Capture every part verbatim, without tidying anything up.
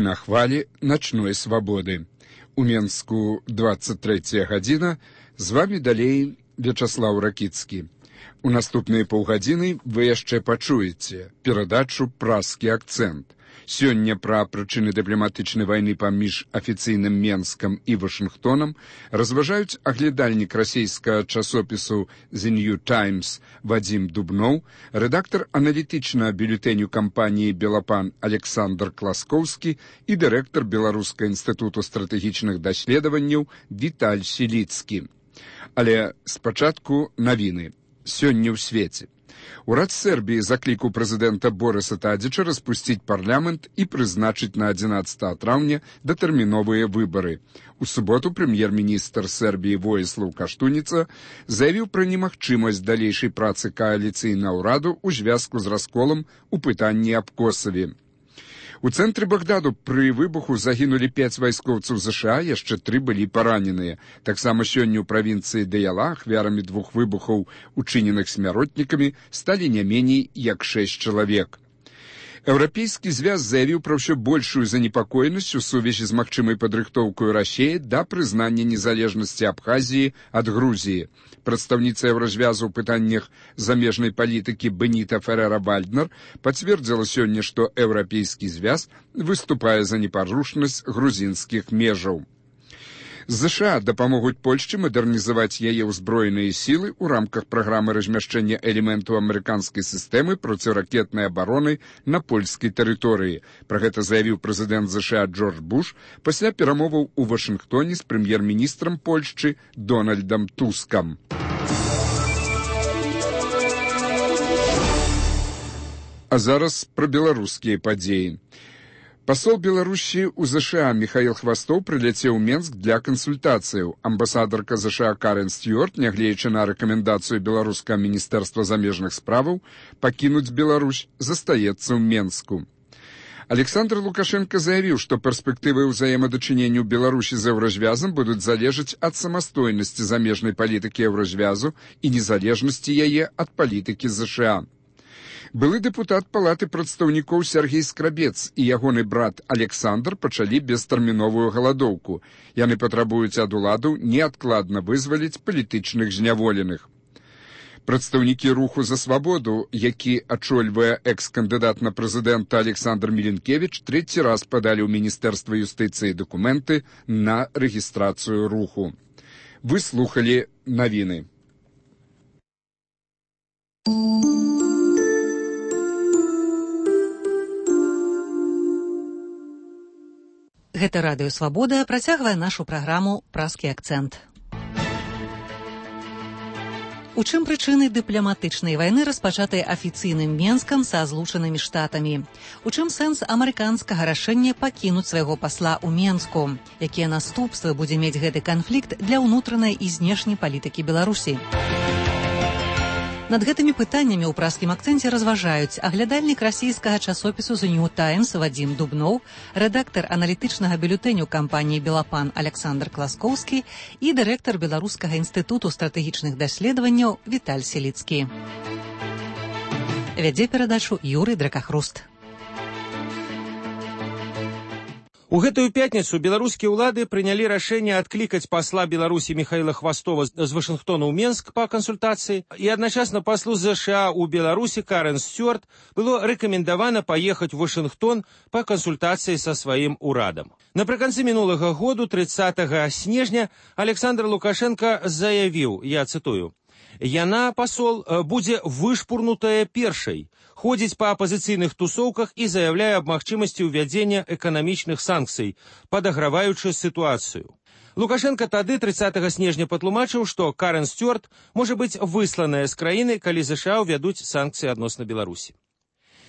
Вы на хвалі начной свабоды. У Менску двадцать третья гадзіна. З вами далей Вячаслаў Ракіцкі. У наступныя паўгадзіны вы яшчэ пачуеце перадачу «Празкі акцэнт». Сёння пра прычыны дыпламатычнай вайны паміж афіцыйным Менскам і Вашынгтонам разважаюць аглядальнік расійскага часопісу «The New Times» Вадзім Дубноў, рэдактар аналітычнага бюлетэню кампаніі «Белапан» Александр Класкоўскі і дырэктар Беларускага інстытуту стратэгічных даследаванняў Віталь Сіліцкі. Але спачатку навіны. Сёння ў свеце. Урад Сербіі заклікаў прэзідэнта Борыса Тадзіча распусціць парламент і прызначыць на адзінаццатага траўня датэрміновыя выбары. У суботу прэм'ер-міністр Сербіі Воіслаў Каштуніца заявіў пра немагчымасць далейшай працы кааліцыйнага ўраду ў звязку з расколам у пытанні аб Косаве. У цэнтры Багдаду пры выбуху загінулі пяць вайскоўцаў ЗША, яшчэ тры былі параненыя. Таксама сёння ў правінцыі Даяла ахвярамі двух выбухаў, учыненых смяротнікамі, сталі не меней як шэсць чалавек. Еўрапейскі звяз заявіў пра ўсё большую занепакоенасць у сувязі з магчымай падрыхтоўкай Расіі да прызнання незалежнасці Абхазіі ад Грузіі. Прадстаўніца Еўразвязу ў пытаннях замежнай палітыкі Беніта Ферера-Вальднер пацвердзіла сёння, што Еўрапейскі звяз выступае за непарушнасць грузінскіх межаў. ЗША дапамогуць Польшчы мадэрнізаваць яе ўзброеныя сілы ў рамках праграмы размяшчэння элементаў амерыканскай сістэмы проціракетнай абароны на польскай тэрыторыі. Пра гэта заявіў прэзідэнт ЗША Джордж Буш пасля перамоваў у Вашынгтоне з прэм'ер-міністрам Польшчы Дональдам Тускам. А зараз пра беларускія падзеі. Пасол Беларусі ў ЗША Міхаіл Хвастоў прыляцеў у Менск для кансультацыяў. Амбасадарка ЗША Карен Стюарт, нягледзячы на рэкамендацыю беларускага міністэрства замежных справаў пакінуць Беларусь, застаецца ў Менску. Александр Лукашенко заявіў, што перспектывы ўзаемадачынення Беларусі з Еўразвязам будуць залежаць ад самастойнасці замежнай палітыкі Еўразвязу і незалежнасці яе ад палітыкі ЗША. Былы дэпутат палаты прадстаўнікоў Сергей Скрабец і ягоны брат Александр пачалі бестэрміновую галадоўку. Яны патрабуюць ад уладаў неадкладна вызваліць палітычных зняволеных. Прадстаўнікі руху за свабоду, які ачольвае экс-кандыдат на прэзідэнта Александр Міленкевіч, трэці раз падалі ў Міністэрства юстыцыі дакументы на рэгістрацыю руху. Вы слухалі навіны. Гэта радыё «Свабода» працягвае нашу праграму «Празкі акцэнт». У чым прычыны дыпламатычнай вайны, распачатай афіцыйным Менскам са злучанымі штатамі? У чым сэнс амерыканскага рашэння пакінуць свайго пасла ў Менску? Якія наступствы будзе мець гэты канфлікт для ўнутранай і знешняй палітыкі Беларусі? Над гэтымі пытаннямі ў празкім акцэнце разважаюць аглядальнік расійскага часопісу «The New Times» Вадзім Дубноў, рэдактар аналітычнага бюлетэню кампаніі «Белапан» Александр Класкоўскі і дырэктар Беларускага інстытуту стратэгічных даследаванняў Віталь Сіліцкі. Вядзе перадачу Юрый Дракахруст. У гэтую пятніцу беларускія ўлады прынялі рашэнне адклікаць пасла Беларусі Міхаіла Хвастова з Вашынгтона ў Менск па кансультацыі, і адначасна паслу ЗША ў Беларусі Карен Стюарт было рэкамендавана паехаць у Вашынгтон па кансультацыі са сваім урадам. Напрыканцы мінулага году, трыццатага снежня, Александр Лукашенко заявіў, я цытую, «Яна, пасол, будзе вышпурнутая першай, ходзіць па апазіцыйных тусоўках і заяўляе аб магчымасці ўвядзення эканамічных санкцый, падаграваючы сітуацыю». Лукашенко тады трыццатага снежня патлумачыў, што Карен Стюарт можа быць высланая з краіны, калі ЗША ўвядуць санкцыі адносна Беларусі.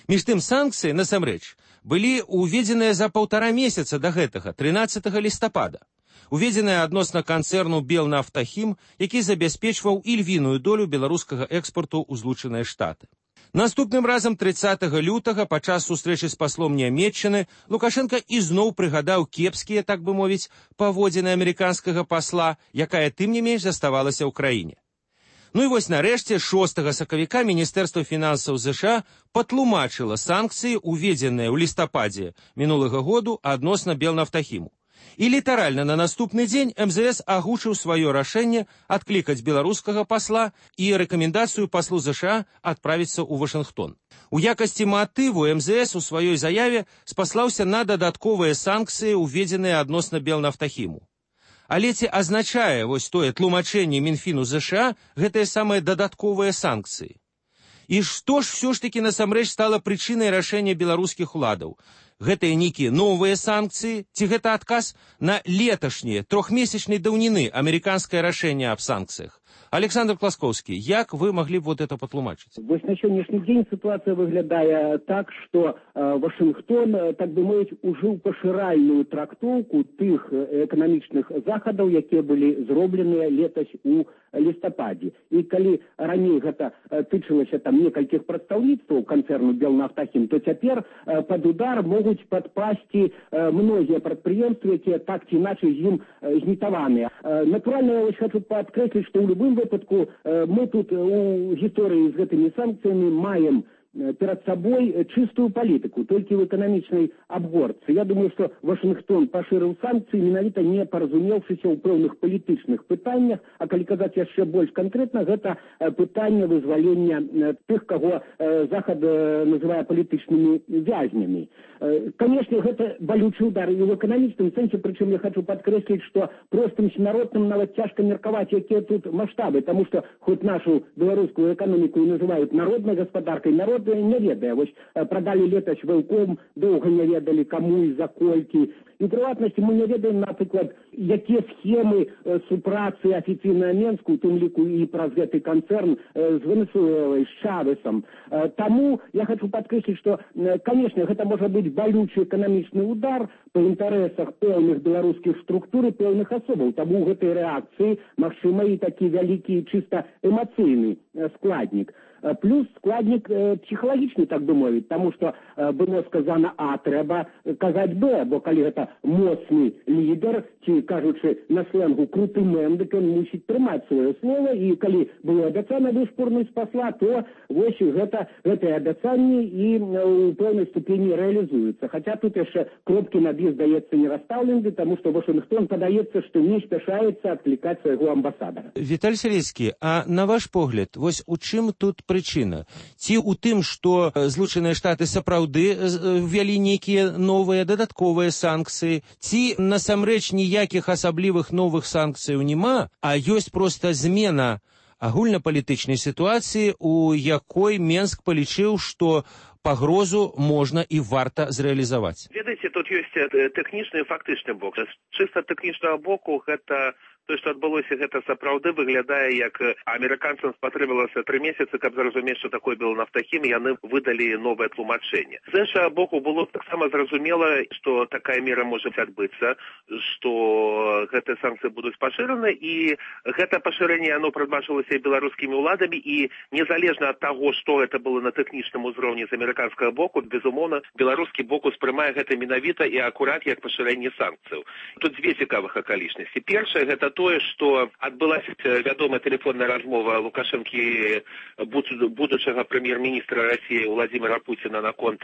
Між тым санкцыі, насамрэч, былі ўведзеныя за паўтара месяца да гэтага, трынаццатага лістапада. Уведзеная адносна канцэрну «Белнафтахім», які забяспечваў ільвіную долю беларускага экспарту ў Злучаныя Штаты. Наступным разам трыццатага лютага падчас сустрэчы з паслом Нямецчыны Лукашенко ізноў прыгадаў кепскія, так бы мовіць, паводзіны амерыканскага пасла, якая тым не менш заставалася ў краіне. Ну і вось нарэшце шостага сакавіка Міністэрства фінансаў ЗША патлумачыла санкцыі, уведзеныя ў лістападзе мінулага году адносна Белнафтахіму. І літаральна на наступны дзень эм зэ эс агучыў сваё рашэнне адклікаць беларускага пасла і рэкамендацыю паслу ЗША адправіцца ў Вашынгтон. У якасці матыву эм зэ эс у сваёй заяве спаслаўся на дадатковыя санкцыі, уведзеныя адносна Белнафтахіму. Але ці азначае вось тое тлумачэнне Мінфіну ЗША гэтыя самыя дадатковыя санкцыі? І што ж ўсё ж такі насамрэч стала прычынай рашэння беларускіх уладаў? Гэтыя нейкія новыя санкцыі, ці гэта адказ на леташняе трохмесячнай даўніны амерыканскае рашэнне аб санкцыях? Александр Класкоўскі, як вы могли бы вот это потлумачить? Вот на сегодняшний день ситуация выглядает так, что э, Вашингтон, э, так бы мовить, ужил поширальную трактовку тых экономичных заходов, які были зроблены летась у листопаде. И коли ранее это э, тычылася там некальких представництв концерну Белнафтахім, то теперь э, под удар могут подпасти э, многие предприятия, які так чи иначе им э, знітаваны. Э, натурально я хочу подкреслить, что в любом выпадку э, мы тут э, у истории с этими санкциями маем перед собой чистую политику, только в экономичной обгорце. Я думаю, что Вашингтон поширил санкции, менавіта не поразумевшися у певних політичних питаннях, а коли казати еще больше конкретно, это питання вызволения тех, кого Захад называет политичными вязнями. Конечно, это болючий удар и в экономическом сенсе, причем я хочу подкреслить, что простым народным нават тяжко мерковать, какие тут масштабы, потому что хоть нашу белорусскую экономику и называют народной господаркой, народ не ведае. Вось продали летась вэлком, долго не ведали, кому и за кольки. И в приватности мы не ведаем, например, какие схемы э, супрацы официально Менску, в том лику и про гэты концерн э, с Венесуэлой, с Чавесом. Э, тому я хочу подкреслить, что, э, конечно, это может быть болючий экономичный удар по интересах певных белорусских структур и певных особов. Тому в этой реакции, магчыма, и такие великий чисто эмоциональный э, складник. Плюс складник э, психологичный, так бы мовить, потому что э, было сказано А, треба казать Б, бо коли это моцный лидер, чи, кажучи на сленгу круты мен, дык он мусить трымать свое слово, и коли было обяцано вышпурнуть посла, то вось гэта, гэтае обяцанне и э, у певной ступени реализуется. Хотя тут еще кропки над «и» сдается не расставлены, потому что Вашингтон подается, что не спешается откликать своего амбассадора. Виталий Сирецкий, а на ваш погляд, вось у чым тут прычына? Ці ў тым, што Злучаныя Штаты сапраўды ввялі нейкія новыя дадатковыя санкцыі, ці насамрэч ніякіх асаблівых новых санкцыяў няма, а ёсць проста змена агульнапалітычнай сітуацыі, у якой Менск палічыў, што пагрозу можна і варта зрэалізаваць? Ведаеце, тут ёсць тэхнічны і фактычны бок. З чыста тэхнічнага боку гэта то, што адбылося, гэта сапраўды выглядае, як амерыканцам спатрэбілася тры месяцы, каб зразумець, што такое Белнафтахім, яны выдалі новае тлумачэнне. З іншага боку, было таксама зразумела, што такая мера можа адбыцца, што гэтыя санкцыі будуць пашыраны, і гэта пашырэнне, яно прадбачылася беларускімі ўладамі, і незалежна ад таго, што гэта было на тэхнічным узроўні з амерыканскага боку, безумоўна, беларускі бок успрымае гэта менавіта і акурат як пашырэнне санкцыяў. Тут дзве цікавых акалічнасці. Першае, гэта тое, што адбылася вядомая тэлефонная размова Лукашэнкі, будучага прэм'ер-міністра Расіі Владзіміра Пуціна наконт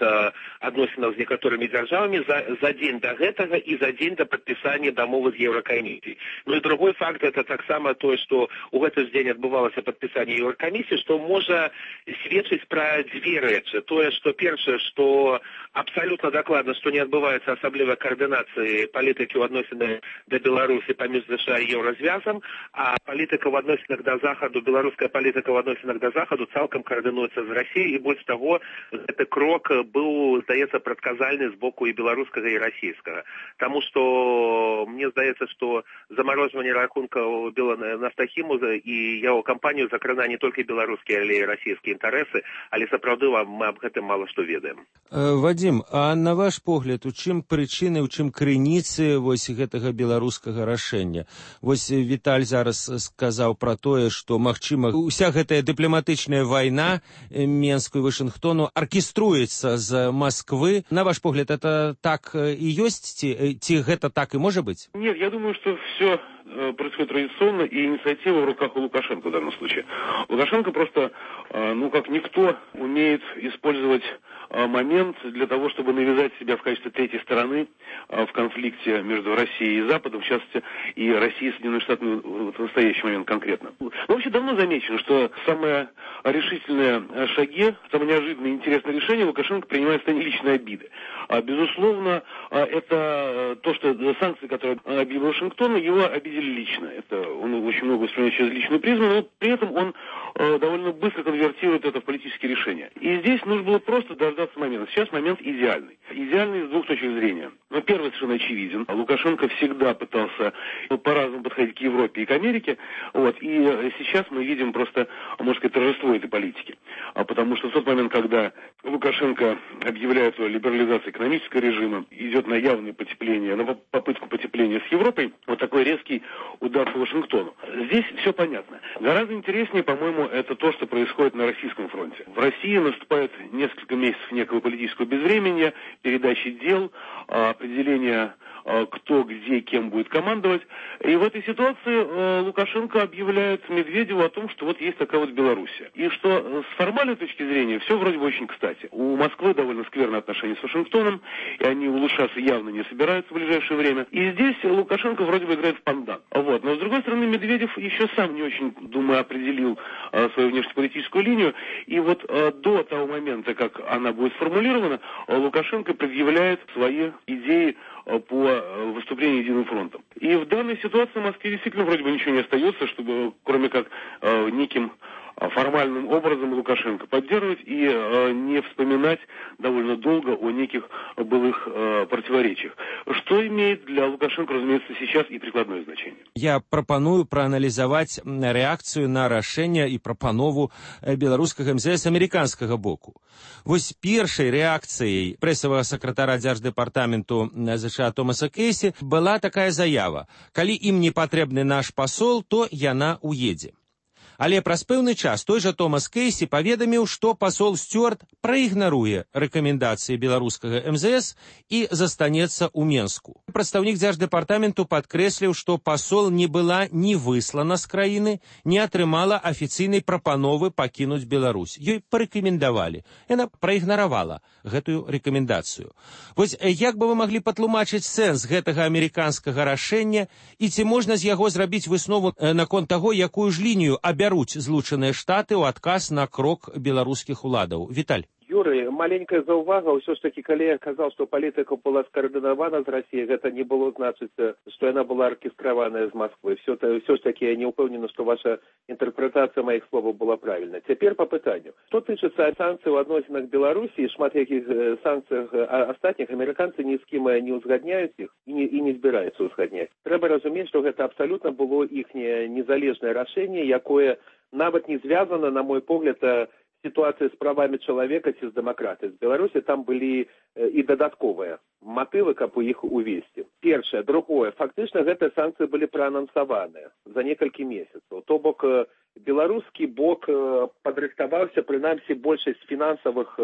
адносінаў з некаторымі дзяржавамі за, за дзень да гэтага і за дзень да падпісання дамовы з Еўракамісіяй. Ну і другой факт, это таксама тое, што ў гэты ж дзень адбывалася падпісанне Еўракамісіі, што можа сведчыць пра дзве рэчы. Тое, што першае, што абсалютна дакладна, што не адбываецца асаблівай каардынацыі палітыкі ў адносінах да Беларусі паміж ЗША і Еўразвязам, а палітыка в адносінах да Захаду, беларуская палітыка в адносінах да Захаду цалкам координуецца з Расіяй, і больш таго, гэты крок быў, здаецца, прадказальны з боку і беларускага, і расійскага. Таму што мне здаецца, што замарожванне рахункаў Белнафтахіму і яго кампанію закрана не толькі беларускія, але і расійскія інтарэсы, але сапраўды мы аб гэтым мала што ведаем. Вадзім, а на ваш погляд, у чым прычыны, у чым крыніцы вось гэтага беларускага рашэння? Вось Віталь зараз сказаў пра тое, што, магчыма, уся гэтая дыпламатычная вайна Менску і Вашынгтону аркеструецца з Москвы. На ваш погляд, это так і ёсць? Ці, ці гэта так и может быть? Нет, я думаю, что все происходит традиционно, и инициатива в руках у Лукашенко в данном случае. Лукашенко просто, ну, как никто, умеет использовать момент для того, чтобы навязать себя в качестве третьей стороны в конфликте между Россией и Западом, в частности, и Россией и Соединенными Штатами в настоящий момент конкретно. Но вообще давно замечено, что самые решительные шаги, самые неожиданные и интересные решения Лукашенко принимает в состоянии личной обиды. Безусловно, это то, что санкции, которые объявил Вашингтон, его обидели лично. Это он очень много воспринимает через личную призму, но при этом он довольно быстро конвертирует это в политические решения. И здесь нужно было просто дождаться момента. Сейчас момент идеальный. Идеальный с двух точек зрения. Но первый совершенно очевиден. Лукашенко всегда пытался по-разному подходить к Европе и к Америке. Вот. И сейчас мы видим просто, можно сказать, торжество этой политики. Потому что в тот момент, когда Лукашенко объявляет о либерализации экономического режима, идет на явное потепление, на попытку потепления с Европой, вот такой резкий удар по Вашингтону. Здесь все понятно. Гораздо интереснее, по-моему, это то, что происходит на российском фронте. В России наступает несколько месяцев некого политического безвременья, передачи дел, определения, кто, где, кем будет командовать. И в этой ситуации Лукашенко объявляет Медведеву о том, что вот есть такая вот Белоруссия. И что с формальной точки зрения все вроде бы очень кстати. У Москвы довольно скверные отношения с Вашингтоном, и они улучшаться явно не собираются в ближайшее время. И здесь Лукашенко вроде бы играет в пандан. Вот. Но с другой стороны, Медведев еще сам не очень, думаю, определил а, свою внешнеполитическую линию. И вот а, до того момента, как она будет сформулирована, а, Лукашенко предъявляет свои идеи а, по а, выступлению Единым фронтом. И в данной ситуации в Москве действительно вроде бы ничего не остается, чтобы, кроме как а, неким формальным образом Лукашенко поддерживать и э, не вспоминать довольно долго о неких былых э, противоречиях. Что имеет для Лукашенко, разумеется, сейчас и прикладное значение. Я прапаную прааналізаваць рэакцыю на рашэнне і прапанову беларускага эм зэ эс амерыканскага боку. Вось першай рэакцыяй прэсавага сакратара дзярждэпартаменту США Томаса Кейсі была такая заява: калі ім не патрэбны наш пасол, то яна уедзе. Але праз пэўны час той жа Томас Кейсі паведаміў, што пасол Стюарт праігнаруе рэкамендацыі беларускага эм зэ эс і застанецца ў Менску. Прадстаўнік дзярждэпартаменту падкрэсліў, што пасол не была ні выслана з краіны, не атрымала афіцыйнай прапановы пакінуць Беларусь. Ёй парэкамендавалі. Яна праігнаравала гэтую рэкамендацыю. Вось як бы вы маглі патлумачыць сэнс гэтага амерыканскага рашэння і ці можна з яго зрабіць выснову наконт таго, якую ж лінію абяруць Злучаныя Штаты ў адказ на крок беларускіх уладаў? Віталь. Юрый, маленькая заўвага, ўсё ж такі, калі я казаў, што палітыка была скаардынавана з Расіяй, гэта не было значыць, што яна была аркестраваная з Москвы. Все, все ж такі я не ўпэўнена, што ваша інтэрпрэтацыя маіх словаў была правільна. Цяпер па пытанню. Што тычыцца санкцый у адносінах Беларусі, шмат якіх санкцыях астатніх, амерыканцы ні з кім не ўзгадняюць іх і не, і не збіраюцца ўзгадняць. Трэба разумець, што гэта абсалютна было іхняе незалежнае рашэнне, якое нават не звязана, на мой погляд, ситуация с правами человека ці з дэмакратыяй. З Беларусі там былі і дадатковыя матывы, каб у іх увесці. Першае. Другое. Фактычна гэтыя санкцыі былі праанансаваныя за некалькі месяцаў. То бок беларускі бок падрыхтаваўся, прынамсі большасць фінансавых,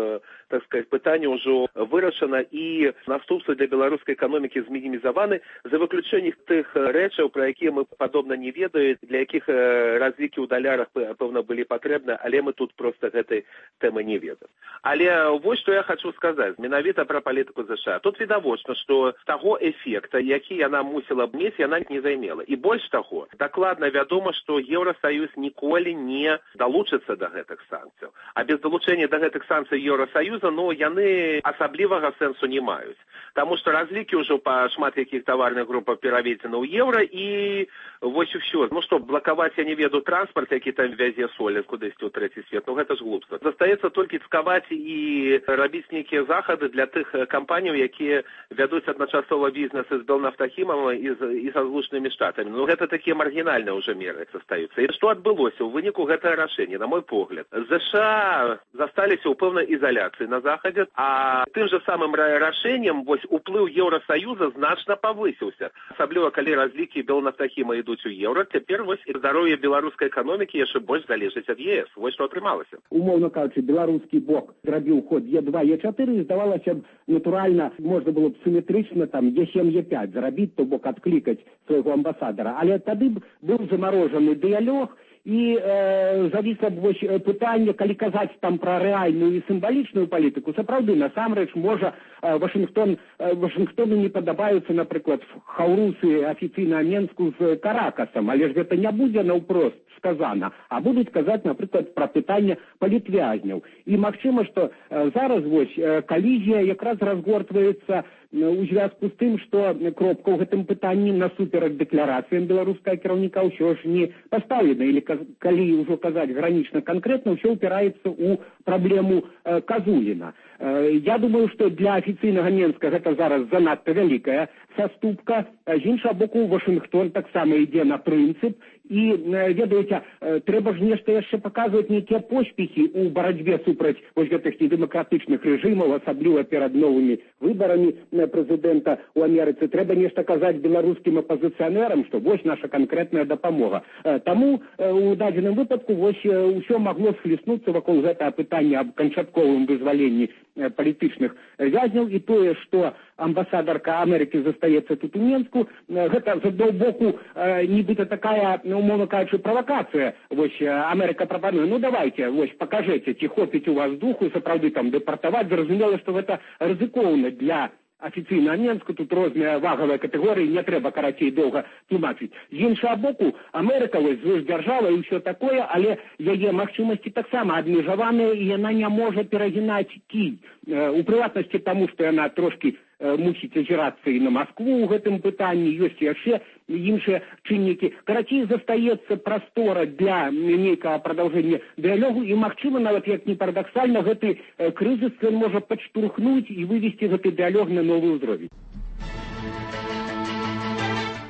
так сказать, пытанняў ўжо вырашана і наступствы для беларускай эканомікі змінімізаваны, за выключэннем тых рэчаў, пра якія мы падобна не ведаем, для якіх разлікі ў далярах пэўна былі патрэбны, але мы тут проста гэтай тэмы не ведаем. Але вось што я хочу сказаць менавіта пра палітыку США. Тут відавочна, што таго эфекта, які яна мусіла б мець, яна не займела. І больш таго, дакладна вядома, што Еўрасаюз ніколі не далучыцца да гэтых санкцыяў. А без далучэння да гэтых санкцый Еўрасаюза, ну, яны асаблівага сэнсу не маюць. Таму што разлікі ўжо па шмат якіх таварных групах пераведзены ў еўра, і вось і ўсё. Ну што, блакаваць, я не ведаю, транспарт, які там вязе соль кудысьці ў трэці свет, ну гэта ж глупо. самагубства. Застаецца толькі цкаваць і рабіць нейкія захады для тых кампаніяў, якія вядуць адначасова бізнесы з Белнафтахімам і з і са злучанымі штатамі. Ну гэта такія маргінальныя ўжо меры застаюцца. І што адбылося ў выніку гэтага рашэння, на мой погляд? ЗША засталіся ў пэўнай ізаляцыі на захадзе, а тым жа самым рашэннем вось уплыў Еўрасаюза значна павысіўся. Асабліва калі разлікі Белнафтахіма ідуць у еўра, цяпер вось і здароўе беларускай эканомікі яшчэ больш залежыць ад ЕС. Вось што атрымалася. Умоўна кажучы, беларускі бок зрабіў ход Е два, Е чатыры, і здавалася б, натуральна, можна было б сіметрычна там Е сем, Е пять зарабіць, то бок адклікаць свайго амбасадара. Але тады б быў замарожаны дыялог, і э, завісла б вось пытанне, калі казаць там пра рэальную і сімвалічную палітыку, сапраўды, насамрэч, можа, э, Вашингтон, э, Вашингтону не падабаюцца, напрыклад, хаўрусы афіцыйна Менску з Каракасам, але ж гэта не будзе наўпрост сказана, а будуць казаць, напрыклад, пра пытанне палітвязняў. І магчыма, што э, зараз вось э, калізія якраз разгортваецца у звязку з тым, што кропка ў гэтым пытанні насуперак дэкларацыям беларускага кіраўніка ўсё ж не паставлена. Или калі ўжо казаць гранічна канкрэтна, ўсё ўпіраецца ў праблему э, Казуліна. Э, я думаю, што для афіцыйнага Менска гэта зараз занадта вялікая саступка. З іншага боку, Вашингтон таксама ідзе на прынцып. І, ведаеце, трэба ж нешта яшчэ паказваць нейкія поспехі ў барацьбе супраць вось гэтых недэмакратычных рэжымаў, асабліва перад новымі выбарамі прэзідэнта ў Амерыцы. Трэба нешта казаць беларускім апазіцыянерам, што вось наша канкрэтная дапамога. Таму у дадзеным выпадку вось усё магло схліснуцца вакол гэтага пытання аб канчатковым вызваленні палітычных вязняў, і тое, што амбасадарка Амерыкі застаецца тут у Менску, гэта з аднаго боку нібыта такая, умовно кажучы, правакацыя. Вось Амерыка прапануе, ну давайте, вось пакажэце, ці хопіць у вас духу сапраўды там дэпартаваць. Зразумела, што гэта рызыкоўна для афіцыйна Менску, тут розныя вагавыя катэгорыі, не трэба карацей доўга тлумачыць. З іншага боку, Амерыка вось звышдзяржава і ўсё такое, але яе магчымасці таксама абмежаваныя, і яна не можа перагінаць кій. У прыватнасці таму, што яна трошкі мусіць азірацца і на Маскву ў гэтым пытанні, ёсць яшчэ іншыя чыннікі. Карацей, застаецца прастора для нейкага прадаўжэння дыялогу, і, магчыма, нават як не парадаксальна, гэты крызіс ён можа падштурхнуць і вывесці гэты дыялог на новы ўзровень.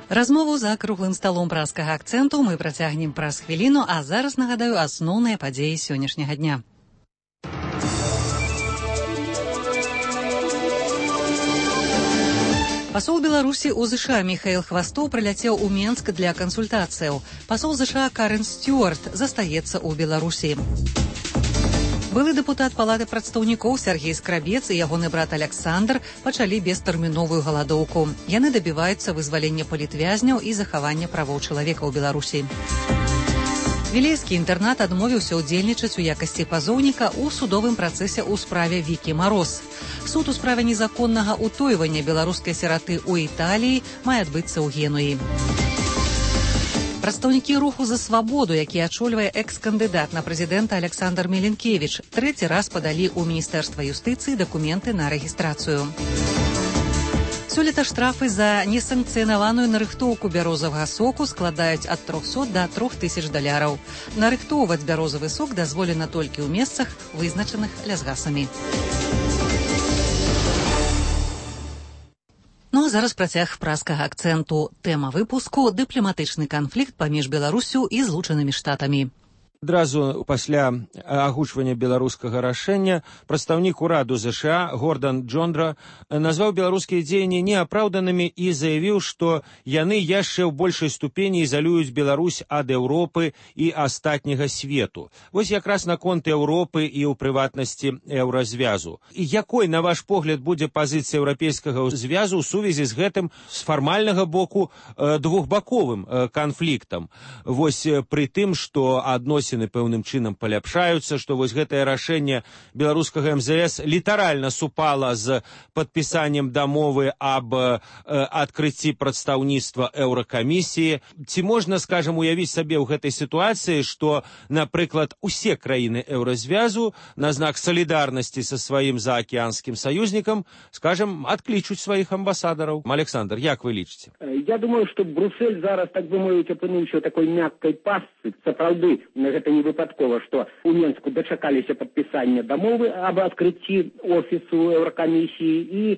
Размову за круглым сталом праскага акцэнту мы працягнем праз хвіліну, а зараз нагадаю асноўныя падзеі сённяшняга дня. Пасол Беларусі ў ЗША Міхаіл Хвастоў прыляцеў у Менск для кансультацыяў. Пасол ЗША Карен Стюарт застаецца ў Беларусі. Былы дэпутат Палаты прадстаўнікоў Сергей Скрабец і ягоны брат Аляксандр пачалі бестэрміновую галадоўку. Яны дабіваюцца вызвалення палітвязняў і захавання правоў чалавека ў Беларусі. Вілейскі інтэрнат адмовіўся ўдзельнічаць у якасці пазоўніка ў судовым працэсе ў справе Вікі Мароз. Суд у справе незаконнага ўтойвання беларускай сіраты ў Італіі мае адбыцца ў Генуі. Прадстаўнікі руху за свабоду, які ачольвае экс-кандыдат на прэзідэнта Аляксандр Меленкевіч, трэці раз падалі ў Міністэрства юстыцыі дакументы на рэгістрацыю. Сёлета штрафы за несанкцыянаваную нарыхтоўку бярозавага соку складаюць ад трохсот да трох тысяч даляраў. Нарыхтоўваць бярозавы сок дазволена толькі ў месцах, вызначаных лясгасамі. Ну а зараз працяг праскага акцэнту. Тэма выпуску – дыпламатычны канфлікт паміж Беларусю і Злучанымі Штатамі. Адразу пасля агучвання беларускага рашэння прадстаўнік ураду ЗША Гордан Джондра назваў беларускія дзеянні неапраўданымі і заявіў, што яны яшчэ ў большай ступені ізалююць Беларусь ад Еўропы і астатняга свету. Вось якраз наконт Еўропы і ў прыватнасці еўразвязу. І якой, на ваш погляд, будзе пазіцыя еўрапейскага звязу ў сувязі з гэтым з фармальнага боку двухбаковым канфліктам? Вось пры тым, што адносіны пэўным чынам паляпшаюцца, што вось гэтае рашэнне беларускага эм зэ эс літаральна супала з падпісаннем дамовы аб э, адкрыцці прадстаўніцтва еўракамісіі. Ці можна, скажам, уявіць сабе ў гэтай сітуацыі, што, напрыклад, усе краіны еўразвязу на знак салідарнасці са сваім заакеанскім саюзнікам, скажам, адклічуць сваіх амбасадараў? Александр, як вы лічыце? Я думаю, што Брюссель зараз, так бы мовіць, апынуўся такой мяккай пастцы. Сапраўды, гэта не выпадкова, што у Менску дачакаліся падпісання дамовы аб адкрыцці офісу Еўракамісіі і э,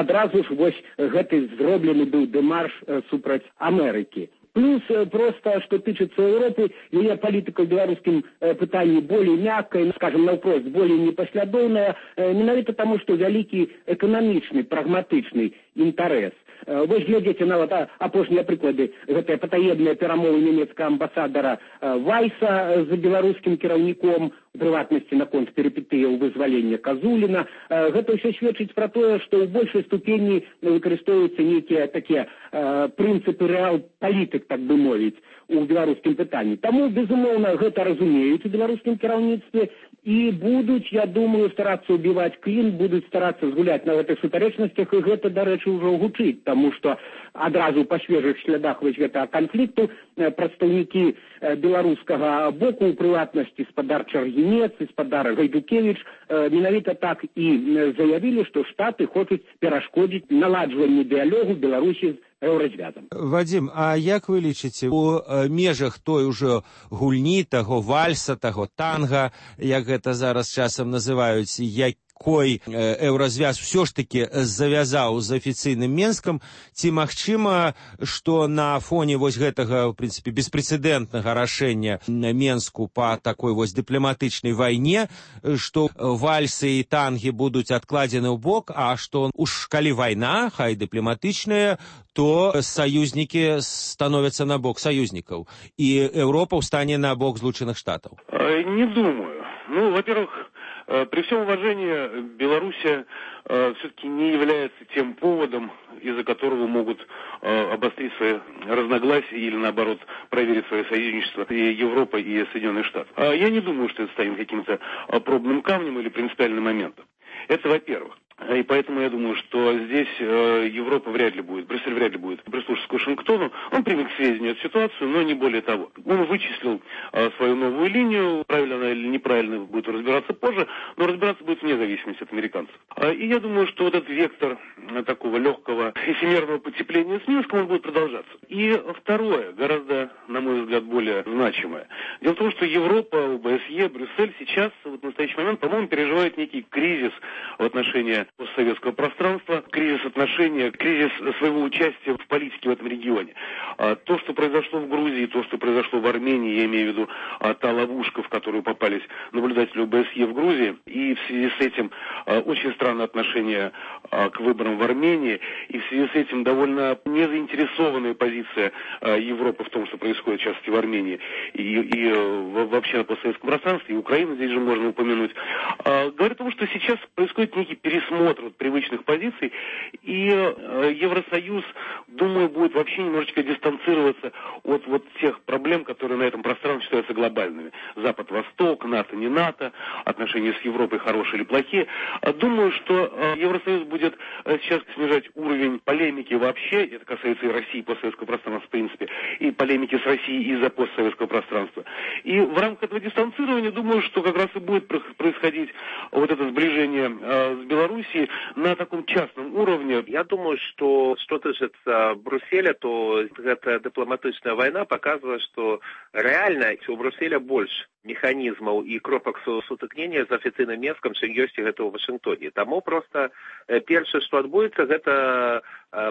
адразу ж вось гэты зроблены быў дэмарш э, супраць Амерыкі. Плюс просто, что тычется Европы, ее политика в белорусском э, пытании более мягкая, скажем, навпрост, более непоследовная, э, менавіта тому, что великий экономичный, прагматичный интерес. Э, вы глядите на вот апошние прыклады, гэта патаебныя перамовы немецкого амбассадора э, Вайса за белорусским кіраўніком, у прыватнасці наконт перипетыяў вызвалення Казуліна. Э, гэта ўсё сведчыць пра тое, што ў большай ступені выкарыстоўваюцца нейкія такія э, прынцыпы рэал-палітык, так бы мовіць, у беларускім пытанні. Таму, безумоўна, гэта разумеюць у беларускім кіраўніцтве і будуць, я думаю, старацца ўбіваць клін, будуць старацца згуляць на гэтых сутарэчнасцях, і гэта, дарэчы, ўжо гучыць, таму што адразу па свежых слядах вось гэтага канфлікту прадстаўнікі беларускага боку, у прыватнасці спадар Чаргінец і спадар Гайдукевіч, менавіта так і заявілі, што Штаты хочуць перашкодзіць наладжванню дыялогу Беларусі з Еўразвязам. Вадзім, а як вы лічыце, у межах той ужо гульні, таго вальса, таго танга, як гэта зараз часам называюць, якой Еўразвяз ўсё ж таки завязаў з афіцыйным Менскам, ці магчыма, што на фоне вось гэтага, в прынцыпе, беспрэцэдэнтнага рашэння Менску па такой вось дыпламатычнай вайне, што вальсы і тангі будуць адкладзены ў бок, а што уж калі вайна, хай дыпламатычная, то союзники становятся на бок союзников, и Европа встанет на бок Злученных Штатов? Не думаю. Ну, во-первых, при всем уважении, Белоруссия все-таки не является тем поводом, из-за которого могут обострить свои разногласия или, наоборот, проверить свое союзничество и Европа, и Соединенные Штаты. Я не думаю, что это станет каким-то пробным камнем или принципиальным моментом. Это во-первых. И поэтому я думаю, что здесь э, Европа вряд ли будет, Брюссель вряд ли будет прислушиваться к Вашингтону. Он примет к сведению эту ситуацию, но не более того. Он вычислил э, свою новую линию, правильно она или неправильно будет разбираться позже, но разбираться будет вне зависимости от американцев. Э, и я думаю, что вот этот вектор э, такого легкого эфемерного потепления с Минском, он будет продолжаться. И второе, гораздо, на мой взгляд, более значимое. Дело в том, что Европа, ОБСЕ, Брюссель сейчас, вот в настоящий момент, по-моему, переживает некий кризис в отношении постсоветского пространства, кризис отношения, кризис своего участия в политике в этом регионе. А то, что произошло в Грузии, то, что произошло в Армении, я имею в виду а, та ловушка, в которую попались наблюдатели ОБСЕ в Грузии, и в связи с этим а, очень странное отношение а, к выборам в Армении, и в связи с этим довольно незаинтересованная позиция а, Европы в том, что происходит сейчас в Армении, и, и а, вообще на постсоветском пространстве, и Украину здесь же можно упомянуть, а, говорит о том, что сейчас происходит некий пересмотр вот привычных позиций, и э, Евросоюз, думаю, будет вообще немножечко дистанцироваться от вот тех проблем, которые на этом пространстве считаются глобальными. Запад-Восток, НАТО, не НАТО, отношения с Европой хорошие или плохие. Думаю, что э, Евросоюз будет э, сейчас снижать уровень полемики вообще, это касается и России, и постсоветского пространства, в принципе, и полемики с Россией из-за постсоветского пространства. И в рамках этого дистанцирования, думаю, что как раз и будет происходить вот это сближение э, с Белоруссией на таком частном уровне. Я думаю, что что тычыцца Брюсселя, то эта дипломатичная война показывает, что реально у Брюсселя больше механизмаў і кропак сутыкнення з афіцыйным Менскам, чым ёсць гэта ў Вашынгтоне. Таму проста першае, што адбудзецца, гэта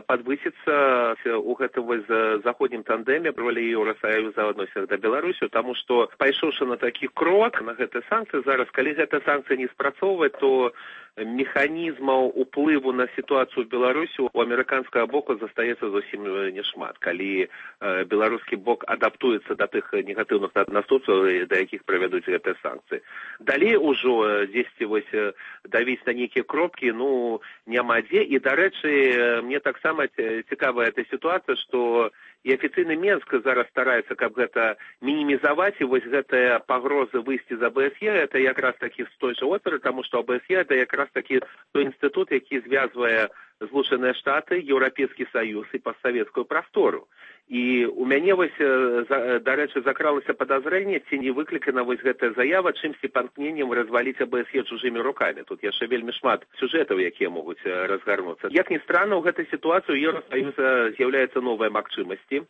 падвысіцца у гэтым вось заходнім тандеме ролі Еўрасаюза ў адносінах да Беларусі, таму што пайшоўшы на такі крок, на гэтыя санкцыі, зараз, калі гэтыя санкцыі не спрацоўваюць, то механізмаў уплыву на сітуацыю ў Беларусі у амерыканскага боку застаецца зусім няшмат. Калі э, беларускі бок адаптуецца да тых негатыўных наступстваў, да якіх правядуць гэтыя санкцыі. Далей ужо дзесьці вось давіць на нейкія кропкі, ну, няма дзе. І, дарэчы, мне таксама цікавая эта сітуацыя, што і афіцыйны Менск зараз стараецца, каб гэта мінімізаваць, і вось гэтая пагроза выйсці з АБСЕ, это якраз такі з той жа оперы, таму што АБСЕ это якраз такі той інстытут, які звязвае Злучаныя Штаты, Еўрапейскі Саюз і постсавецкую прастору. І у мяне вось, дарэчы, закралася падазрэнне, ці не выклікана вось гэтая заява чымсьці памкненнем разваліць АБСЕ чужымі рукамі. Тут яшчэ вельмі шмат сюжэтаў, якія могуць разгарнуцца. Як ні странна, у гэтай сітуацыі у Еўрасаюза з'яўляецца новая магчымасці.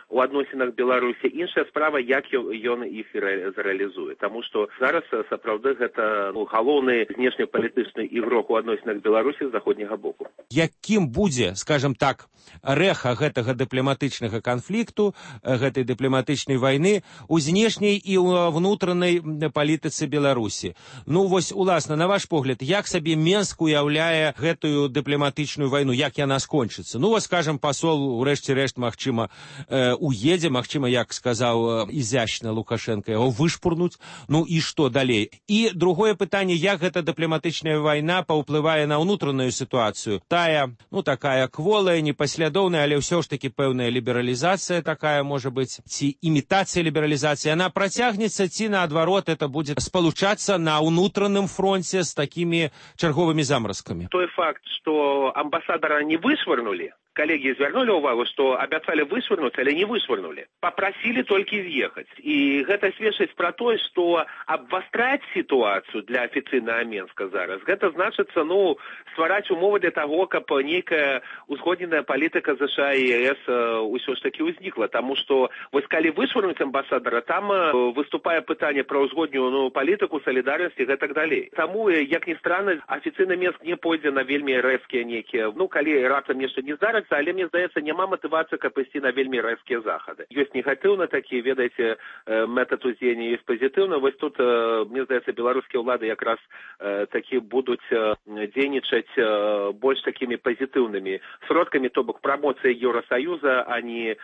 у адносінах Беларусі. Іншая справа, як ён іх зарэалізуе. Таму што зараз сапраўды гэта ну, галоўны знешнепалітычны ігрок у адносінах Беларусі з заходняга боку. Якім будзе, скажем так, рэха гэтага дыпламатычнага канфлікту, гэтай дыпламатычнай вайны у знешняй і ў внутранай палітыцы Беларусі? Ну, вось, уласна, на ваш погляд, як сабе Менск уяўляе гэтую дыпламатычную вайну, як яна скончыцца? Ну, вот, скажем, пасол, урэшце рэшт, магчыма, э, уедзе, магчыма, як сказаў э, изящна Лукашенко, яго вышпурнуць, ну і што далей? І другое пытанне, як гэта дыпламатычная вайна паўплывае на ўнутраную сітуацыю? Тая, ну, такая кволая, непаслядоўная, але ўсё ж таки пэўная лібералізацыя такая, можа быць, ці імітацыя лібералізацыі, она працягнецца, ці наадварот, это будзе спалучацца на ўнутраным фронте с такими чарговымі замразкамі? Той факт, што амбасадара не вышвырнули, коллеги звярнули увагу, што абяцалі вышвырнуць, але не вышвырнули. Попросили толькі з'ехаць. І гэта сведчыць пра тое, што абвастраць сітуацыю для афіцыйнага Менска зараз, гэта значыцца, ну, ствараць умовы для таго, каб нейкая узгодненая палітыка ЗША і ЕС ўсё ж таки ўзнікла. Таму што, вось калі вышвырнуць амбасадара, там выступае пытанне пра ўзгодненую палітыку, салідарнасць і гэтак далей. Таму, як ні странна, афіцыйны Менск не пойдзе на вельмі рэзкія нейкія, ну, калі раптам нешта не здарыцца, але, мне здаецца, няма матывацыі, каб ісці на вельмі рэзкія захады. Ёсць негатыўна такія, ведаеце, метад уздзеяння, ёсць пазітыўна. Вось тут, мне здаецца, беларускія ўлады якраз такі будуць дзейнічаць больш такімі пазітыўнымі сродкамі, то бок прамоцыя Еўросаюза, а не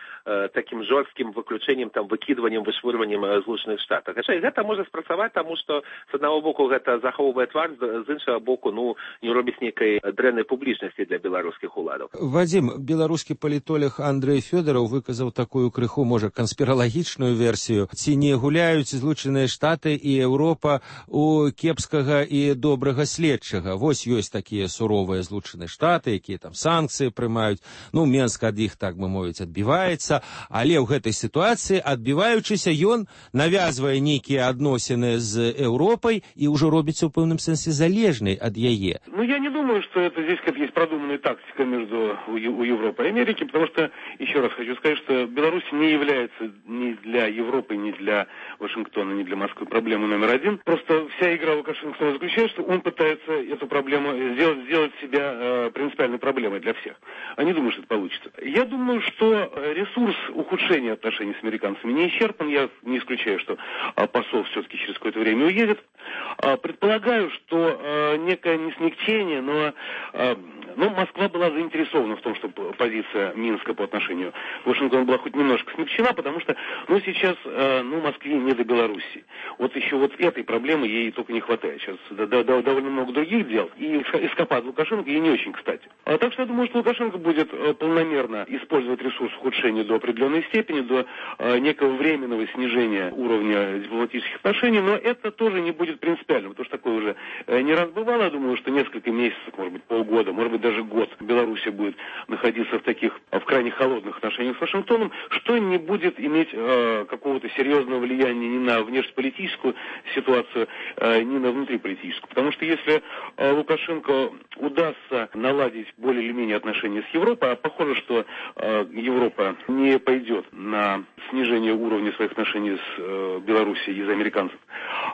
такім жорсткім выключэннем, там, выкідваннем, вышвырваннем Злучаных Штатаў. Гэта можа спрацаваць, таму што з аднаго боку гэта захоўвае твар, з іншага боку, ну, не робіць нейкай дрэннай публічнасці для беларускіх уладаў. Вадзім, беларускі палітолог Андрэй Фёдораў выказаў такую крыху, можа, канспіралагічную версію. Ці не гуляюць Злучаныя Штаты і Еўропа у кепскага і добрага следчага? Вось ёсць такія суровыя Злучаныя Штаты, якія там санкцыі прымаюць. Ну, Менск ад іх, так бы мовіць, адбіваецца. Але ў гэтай сітуацыі, адбіваючыся, ён навязвае нейкія адносіны з Еўропай і ўжо робіцца ў пэўным сэнсе залежнай ад яе. Ну, я не думаю, что это здесь как есть продуманная тактика между у Европы и Америки, потому что, еще раз хочу сказать, что Беларусь не является ни для Европы, ни для Вашингтона, ни для Москвы проблемой номер один. Просто вся игра Лукашенко заключается, что он пытается эту проблему сделать, сделать себя э, принципиальной проблемой для всех. А не думаю, что это получится. Я думаю, что ресурс ухудшения отношений с американцами не исчерпан. Я не исключаю, что э, посол все-таки через какое-то время уедет. Э, предполагаю, что э, некое не смягчение, но, э, но Москва была заинтересована в том, чтобы позиция Минска по отношению к Вашингтону была хоть немножко смягчена, потому что, ну, сейчас, э, ну, Москве не до Белоруссии. Вот еще вот этой проблемы ей только не хватает. Сейчас да, да, довольно много других дел, и эскапад Лукашенко ей не очень кстати. А так что я думаю, что Лукашенко будет э, полномерно использовать ресурс ухудшения до определенной степени, до э, некого временного снижения уровня дипломатических отношений, но это тоже не будет принципиальным, потому что такое уже э, не раз бывало. Я думаю, что несколько месяцев, может быть, полгода, может быть, даже год Белоруссия будет находиться в таких, в крайне холодных отношениях с Вашингтоном, что не будет иметь э, какого-то серьезного влияния ни на внешнеполитическую ситуацию, э, ни на внутриполитическую. Потому что если э, Лукашенко удастся наладить более или менее отношения с Европой, а похоже, что э, Европа не пойдет на снижение уровня своих отношений с э, Белоруссией из-за американцев,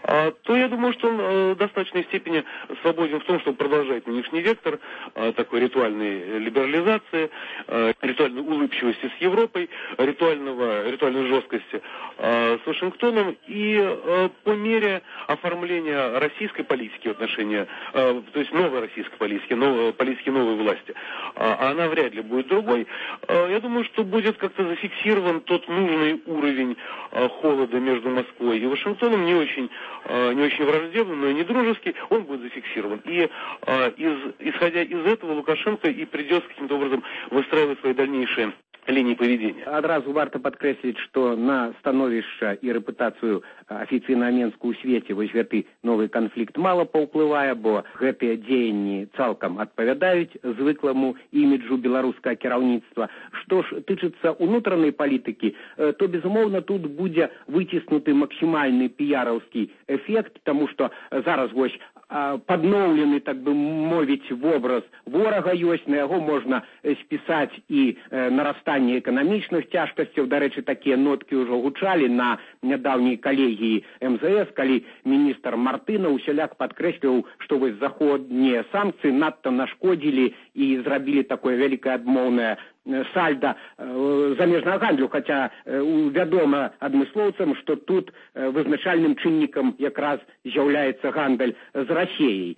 э, то я думаю, что он э, в достаточной степени свободен в том, чтобы продолжать нынешний вектор э, такой ритуальной либерализации, э, ритуальной улыбчивости с Европой, ритуального, ритуальной жесткости э, с Вашингтоном и э, по мере оформления российской политики в отношении, э, то есть новой российской политики, новой, политики новой власти, а она вряд ли будет другой, э, я думаю, что будет как-то зафиксирован тот нужный уровень э, холода между Москвой и Вашингтоном, не очень, э, не очень враждебный, но и не дружеский, он будет зафиксирован. И э, из, исходя из этого Лукашенко и придется каким-то образом выстраивать свои дальнейшие линии поведения. Адразу варта падкрэсліць, што на становішча і рэпутацыю афіцыйнага Менска ў свеце вось гэты новы канфлікт мала паўплывае, бо гэтыя дзеянні цалкам адпавядаюць звыкламу іміджу беларускага кіраўніцтва. Што ж тычыцца ўнутранай палітыкі, то, безумоўна, тут будзе выціснуты максімальны піяраўскі эфект, таму што зараз вось падноўлены, так бы мовіць, вобраз ворага ёсць, на яго можна спісаць і нарастанне эканамічных цяжкасцяў. Дарэчы, такія ноткі ўжо гучалі на нядаўняй калегіі эм зэ эс, калі міністр Мартына усяляк падкрэсліў, што вось заходнія санкцыі надта нашкодзілі і зрабілі такое вялікае адмоўнае сальда замежнага гандлю, хаця вядома адмыслоўцам, што тут вызначальным чыннікам якраз з'яўляецца гандаль з Расіяй.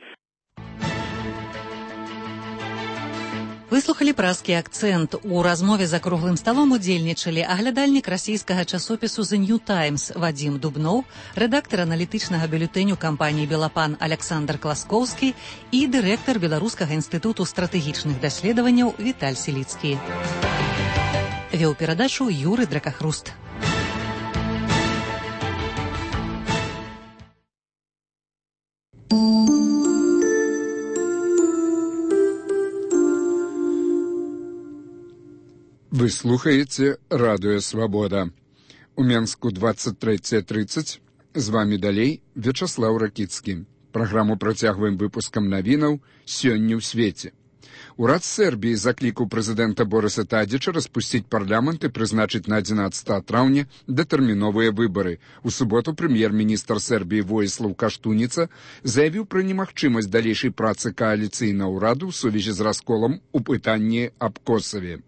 Выслухалі празкі акцэнт. У размове за круглым сталом удзельнічалі аглядальнік расійскага часопісу «The New Times» Вадзім Дубноў, рэдактар аналітычнага бюлетэню кампаніі «Белапан» Александр Класкоўскі і дырэктар Беларускага інстытуту стратэгічных даследаванняў Віталь Селіцкі. Вёў перадачу Юры Дракахруст. Вы слухаете «Радио Свобода». У Менску двадцать три тридцать. З вами далей Вячаслаў Ракіцкі. Праграму працягваем выпускам навінаў «Сёння ў свеце». Урад Сербіі заклікаў прэзідэнта Борыса Тадзіча распусціць парламент і прызначыць на адзінаццатае траўня датэрміновыя выбары. У суботу прэм'ер-міністр Сербіі Воіслаў Каштуніца заявіў пра немагчымасць далейшай працы кааліцыйнага ўраду ў сувязі з расколам у пытанні аб Косаве.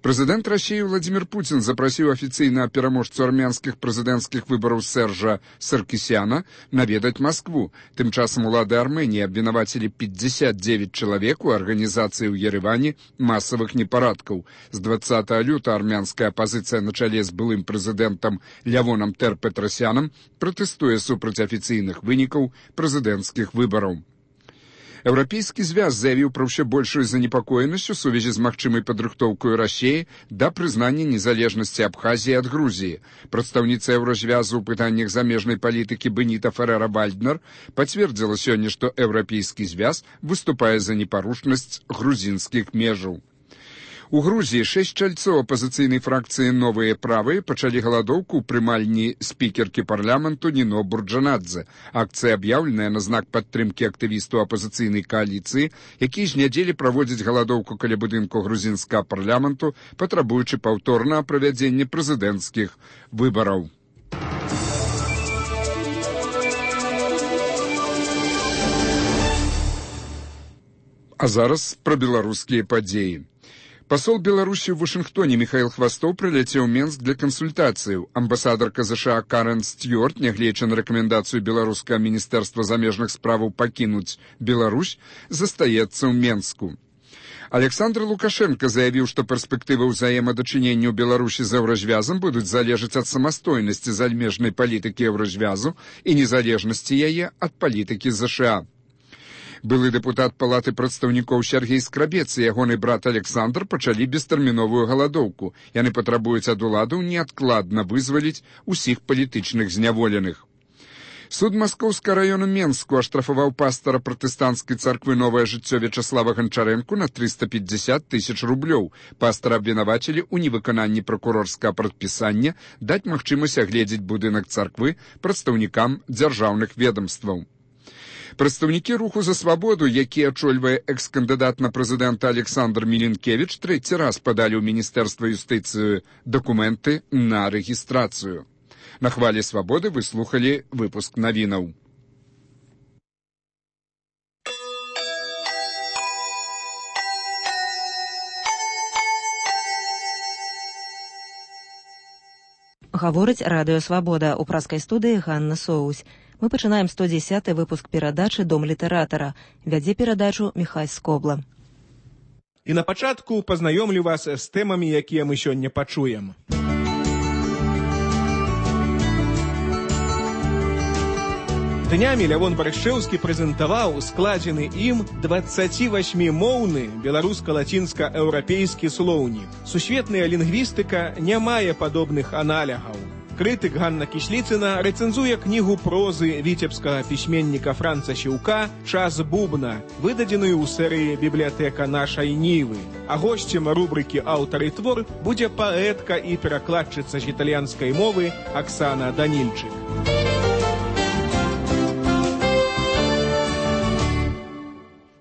Прэзідэнт Расіі Владзімір Пуцін запрасіў афіцыйна пераможцу армянскіх прэзідэнцкіх выбараў Сержа Саркісяна наведаць Маскву. Тым часам улады Арменіі абвінавацілі пятьдесят девять чалавек у арганізацыі ў Ереване масавых непарадкаў. З двадцатага лютага армянская апазіцыя на чале з былым прэзідэнтам Лявонам Тер-Петрасянам пратэстуе супраць афіцыйных вынікаў прэзідэнцкіх выбараў. Еўрапейскі звяз заявіў пра ўсё большую занепакоенасць у сувязі з магчымай падрыхтоўкай Расіі да прызнання незалежнасці Абхазіі ад Грузіі. Прадстаўніца Еўразвязу ў пытаннях замежнай палітыкі Беніта Ферера-Вальднер пацвердзіла сёння, што Еўрапейскі звяз выступае за непарушнасць грузінскіх межаў. У Грузіі шэсць чальцоў апазіцыйнай фракцыі «Новыя правыя» пачалі галадоўку ў прымальні спікеркі парламенту Ніно Бурджанадзе. Акцыя аб'яўленая на знак падтрымкі актывістаў апазіцыйнай кааліцыі, якія з нядзелі праводзяць галадоўку каля будынку грузінскага парламенту, патрабуючы паўторнага правядзення прэзідэнцкіх выбараў. А зараз пра беларускія падзеі. Пасол Беларусі ў Вашынгтоне Міхаіл Хвастоў прыляцеў у Менск для кансультацыяў. Амбасадарка ЗША Карен Стюарт, нягледзячы на рэкамендацыю беларускага міністэрства замежных справаў пакінуць Беларусь, застаецца ў Менску. Александр Лукашенко заявіў, што перспектывы ўзаемадачынення ў Беларусі з Еўразвязам будуць залежаць ад самастойнасці замежнай палітыкі Еўразвязу і незалежнасці яе ад палітыкі ЗША. Былы дэпутат Палаты прадстаўнікоў Сяргей Скрабец і ягоны брат Александр пачалі бестэрміновую галадоўку. Яны патрабуюць ад уладаў неадкладна вызваліць усіх палітычных зняволеных. Суд Маскоўскага раёну Менску аштрафаваў пастара пратэстанцкай царквы «Новае жыццё» Вячаслава Ганчарэнку на триста пятьдесят тысяч рублёў. Пастара абвінавацілі ў невыкананні пракурорскага прадпісання даць магчымасць агледзець будынак царквы прадстаўнікам дзяржаўных ведомстваў. Прадстаўнікі руху за свабоду, які ачольвае экс-кандыдат на прэзідэнта Александр Мілінкевіч, трэці раз падалі ў Міністэрства юстыцыі дакументы на рэгістрацыю. На хвалі свабоды вы слухалі выпуск навінаў. Гаворыць Радыё Свабода. У праскай студыі Ганна Соусь. Мы пачынаем сто дзесяты выпуск перадачы «Дом літаратара». Вядзе перадачу Міхась Скобла. І на пачатку пазнаёмлю вас з тэмамі, якія мы сёння пачуем. Днямі Лявон Барышчэўскі прэзентаваў складзены ім дваццацівасьмімоўны беларуска-лацінска-еўрапейскі слоўнік. Сусветная лінгвістыка не мае падобных аналягаў. Крытык Ганна Кісліцына рэцэнзуе кнігу прозы віцебскага пісьменніка Франца Сіўка «Час бубна», выдадзеную ў серыі «Бібліятэка нашай Нівы». А госцем рубрыкі «Аўтар і твор» будзе паэтка і перакладчыца з італьянскай мовы Аксана Данільчык.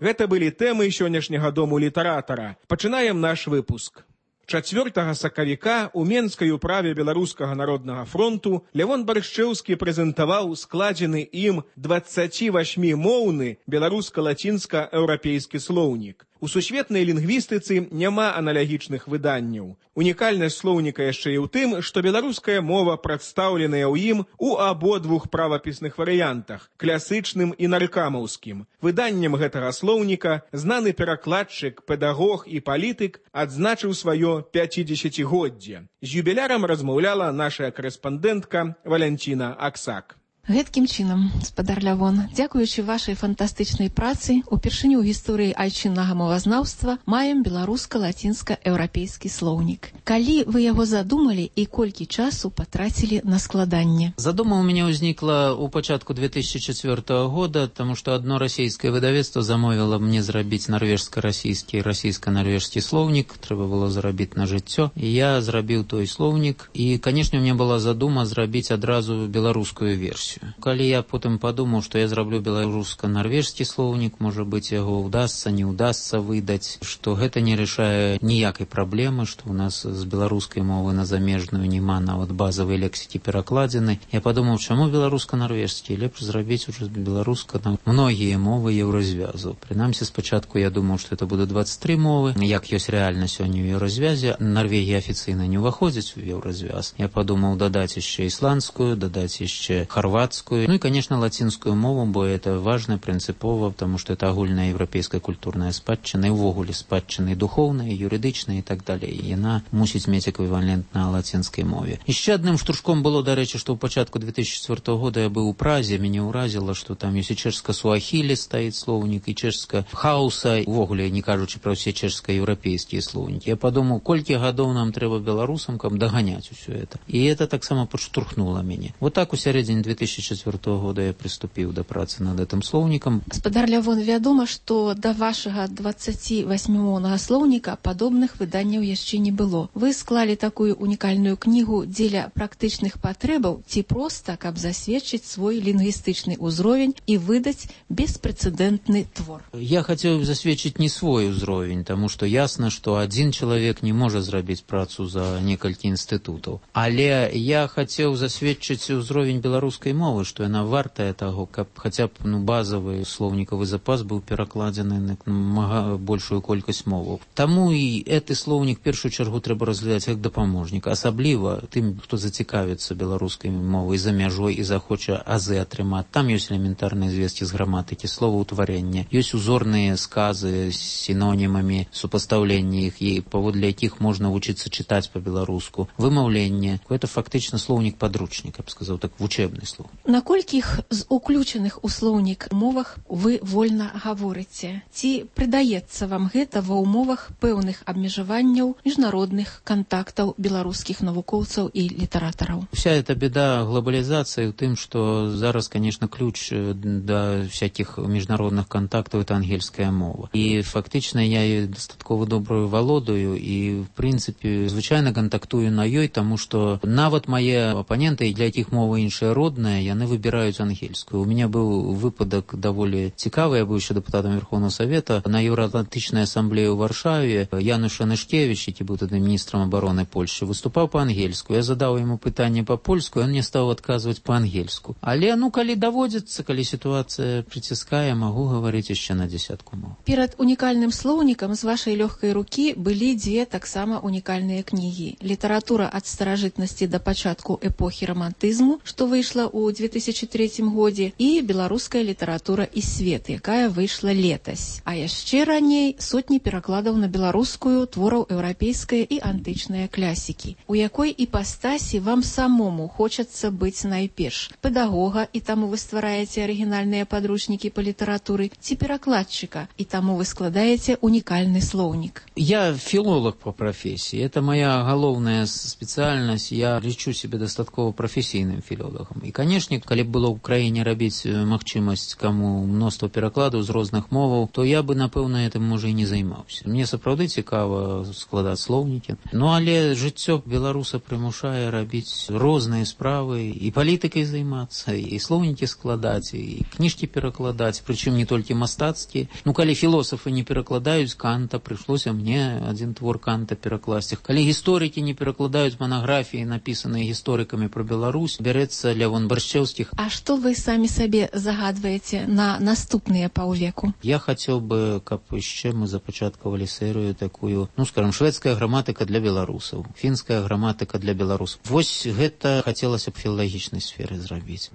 Гэта былі тэмы сённяшняга дому літаратара. Пачынаем наш выпуск. чацвёртага сакавіка у Менскай управе Беларускага народнага фронту Лявон Баршчэўскі прэзентаваў складзены ім дваццацівасьмімоўны беларуска-лацінска-еўрапейскі слоўнік. У сусветнай лінгвістыцы няма аналагічных выданняў. Унікальнасць слоўніка яшчэ і ў тым, што беларуская мова прадстаўленая ў ім у абодвух правапісных варыянтах – класычным і наркамаўскім. Выданнем гэтага слоўніка знаны перакладчык, педагог і палітык адзначыў сваё пяцідзесяцігоддзе. З юбілярам размаўляла наша карэспандэнтка Валянціна Аксак. Гэткім чынам, спадар Лявон, дзякуючы вашай фантастычнай працы, упершыню ў гісторыі айчыннага мовазнаўства маем беларуска-лацінска-еўрапейскі слоўнік. Калі вы яго задумалі і колькі часу патрацілі на складанне? Задума у меня ўзнікла ў пачатку две тысячи четвёртого года, таму што адно расійскае выдавецтва замовіла мне зрабіць нарвежска-расійскі і расійска-нарвежскі слоўнік, трэба было зарабіць на жыццё. І я зрабіў той слоўнік, і, канешне, у меня была задума зрабіць адразу беларускую версію. Калі я потым падумаў, што я зраблю беларуска-нарвежскі слоўнік, можа быць, яго ўдасца, не ўдасца выдаць, што гэта не рашае ніякай праблемы, што ў нас з беларускай мовы на замежную няма нават базавай лексікі перакладзены. Я падумаў, чаму беларуска-нарвежскі? Лепш зрабіць ужо беларуска на многія мовы еўразвязу. Прынамсі, спачатку я думаў, што это будуць дваццаць тры мовы, як ёсць рэальна сёння ў еўразвязе. Нарвегія афіцыйна не ўваходзіць у еўразвяз. Я падумаў дадаць яшчэ ісландскую, дадаць яшчэ хорватскую, ну и, конечно, латинскую мову, бо это важно, принципово, потому что это агульная европейская культурная спадчына, и увогуле спадчына и духовная, и юридичная, и так далее. И она мусіць мець эквивалент на латинской мове. Еще одним штуршком было, до речи, что у початку две тысячи четвёртого года я был у Празе, меня уразило, что там есть и чешско-суахили стоит словник, и чешско-хауса, увогуле, не кажучи про все чешско-европейские словники. Я подумал, колькі гадоў нам трэба белорусам кам доганять все это. И это так само подштурхнуло меня. Вот так у середине две тысячи четвёртого года я приступил до працы над этим словником. Спадар Лявон, вядома, што да вашага дваццацівасьмімоўнага слоўніка падобных выданняў яшчэ не было. Вы склалі такую унікальную кнігу дзеля практычных патрэбаў ці проста, каб засведчыць свой лінгвістычны ўзровень і выдаць беспрэцэдэнтны твор? Я хотел засведчыць не свой ўзровень, таму што ясна, што адзін чалавек не можа зрабіць працу за некалькі інстытутаў. Але я хотел засведчыць ўзровень беларускай мовы, што яна вартая таго, каб хаця б ну, базавы слоўнікавы запас быў перакладзены на мага большую колькасць моваў. Таму і гэты слоўнік першую чаргу трэба разглядаць як дапаможнік, асабліва тым, хто зацікавіцца беларускай мовай за мяжой і захоча азы атрымаць. Там ёсць элементарныя звесткі з граматыкі, словаўтварэння, ёсць узорныя сказы з сінонімамі, супастаўленні іх, і паводле якіх можна вучыцца чытаць па-беларуску, вымаўленне. Гэта фактычна слоўнік-падручнік, я б сказаў, так вучэбны слоў. На колькіх з уключаных у слоўнік мовах вы вольна гаворыце? Ці прыдаецца вам гэта ва ўмовах пэўных абмежаванняў міжнародных кантактаў беларускіх навукоўцаў і літаратараў? Вся эта беда глобализации в том, что зараз, конечно, ключ до всяких международных контактов это ангельская мова. И фактично я ее достатково добрую володаю и, в принципе, звычайно контактую на ёй, тому что нават мои оппоненты, для якіх мова іншая родная, яны выбираюць ангельскую. У меня был выпадок даволі цікавы, я был еще депутатом Верховного Совета на Евроатлантычнай ассамблеі ў Варшаве. Януш Анышкевич, який был тогда министром обороны Польши, выступал по-ангельску. Я задал ему пытанне по-польску, он мне стал отказывать по-ангельску. Але, ну, калі даводзіцца, калі ситуация притиская, могу говорить еще на десятку мов. Перад унікальным слоўнікам з вашай лёгкай рукі былі дзве таксама унікальныя кнігі. Літаратура ад старажытнасці да пачатку эпохі романтызму, што выйшла ў две тысячи третьем годзе, і беларуская літаратура і свет, якая выйшла летась. А яшчэ раней сотні перакладаў на беларускую твораў еўрапейскай і антычнай класікі. У якой іпастасі вам самому хочацца быць найперш? Педагога, і таму вы ствараеце арыгінальныя падручнікі па літаратуры, ці перакладчыка, і таму вы складаеце унікальны слоўнік? Я филолог по профессии. Это моя галоўная специальность. Я лічу себя достатково профессийным филологом. И, конечно, Канешне, калі б было ў краіне рабіць магчымасць каму мноства перакладаў з розных моваў, то я бы, напэўна, гэтым, можа, і не займаўся. Мне сапраўды цікава складаць слоўнікі. Ну, але жыццё беларуса прымушае рабіць розныя справы, і палітыкай займацца, і слоўнікі складаць, і кніжкі перакладаць, прычым не толькі мастацкія. Ну, калі філосафы не перакладаюць Канта, прыйшлося мне адзін твор Канта перакласці. Калі гісторыкі не перакладаюць манаграфіі, напісаныя гісторыкамі пра Беларусь, бярэцца Лявон Баршчэўскіх. А што вы самі сабе загадваеце на наступныя паўвеку? Я хацеў бы, каб яшчэ мы запачаткавалі серыю такую, ну, скажем, шведская граматыка для беларусаў, фінская граматыка для беларусаў. Вось гэта хацелася б філалагічнай сферы зрабіць.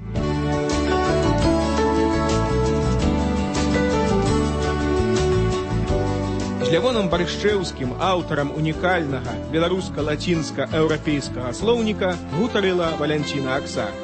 З Лявонам Баршчэўскім, аўтарам унікальнага беларуска-лацінска-еўрапейскага слоўніка, гутарыла Валянціна Аксак.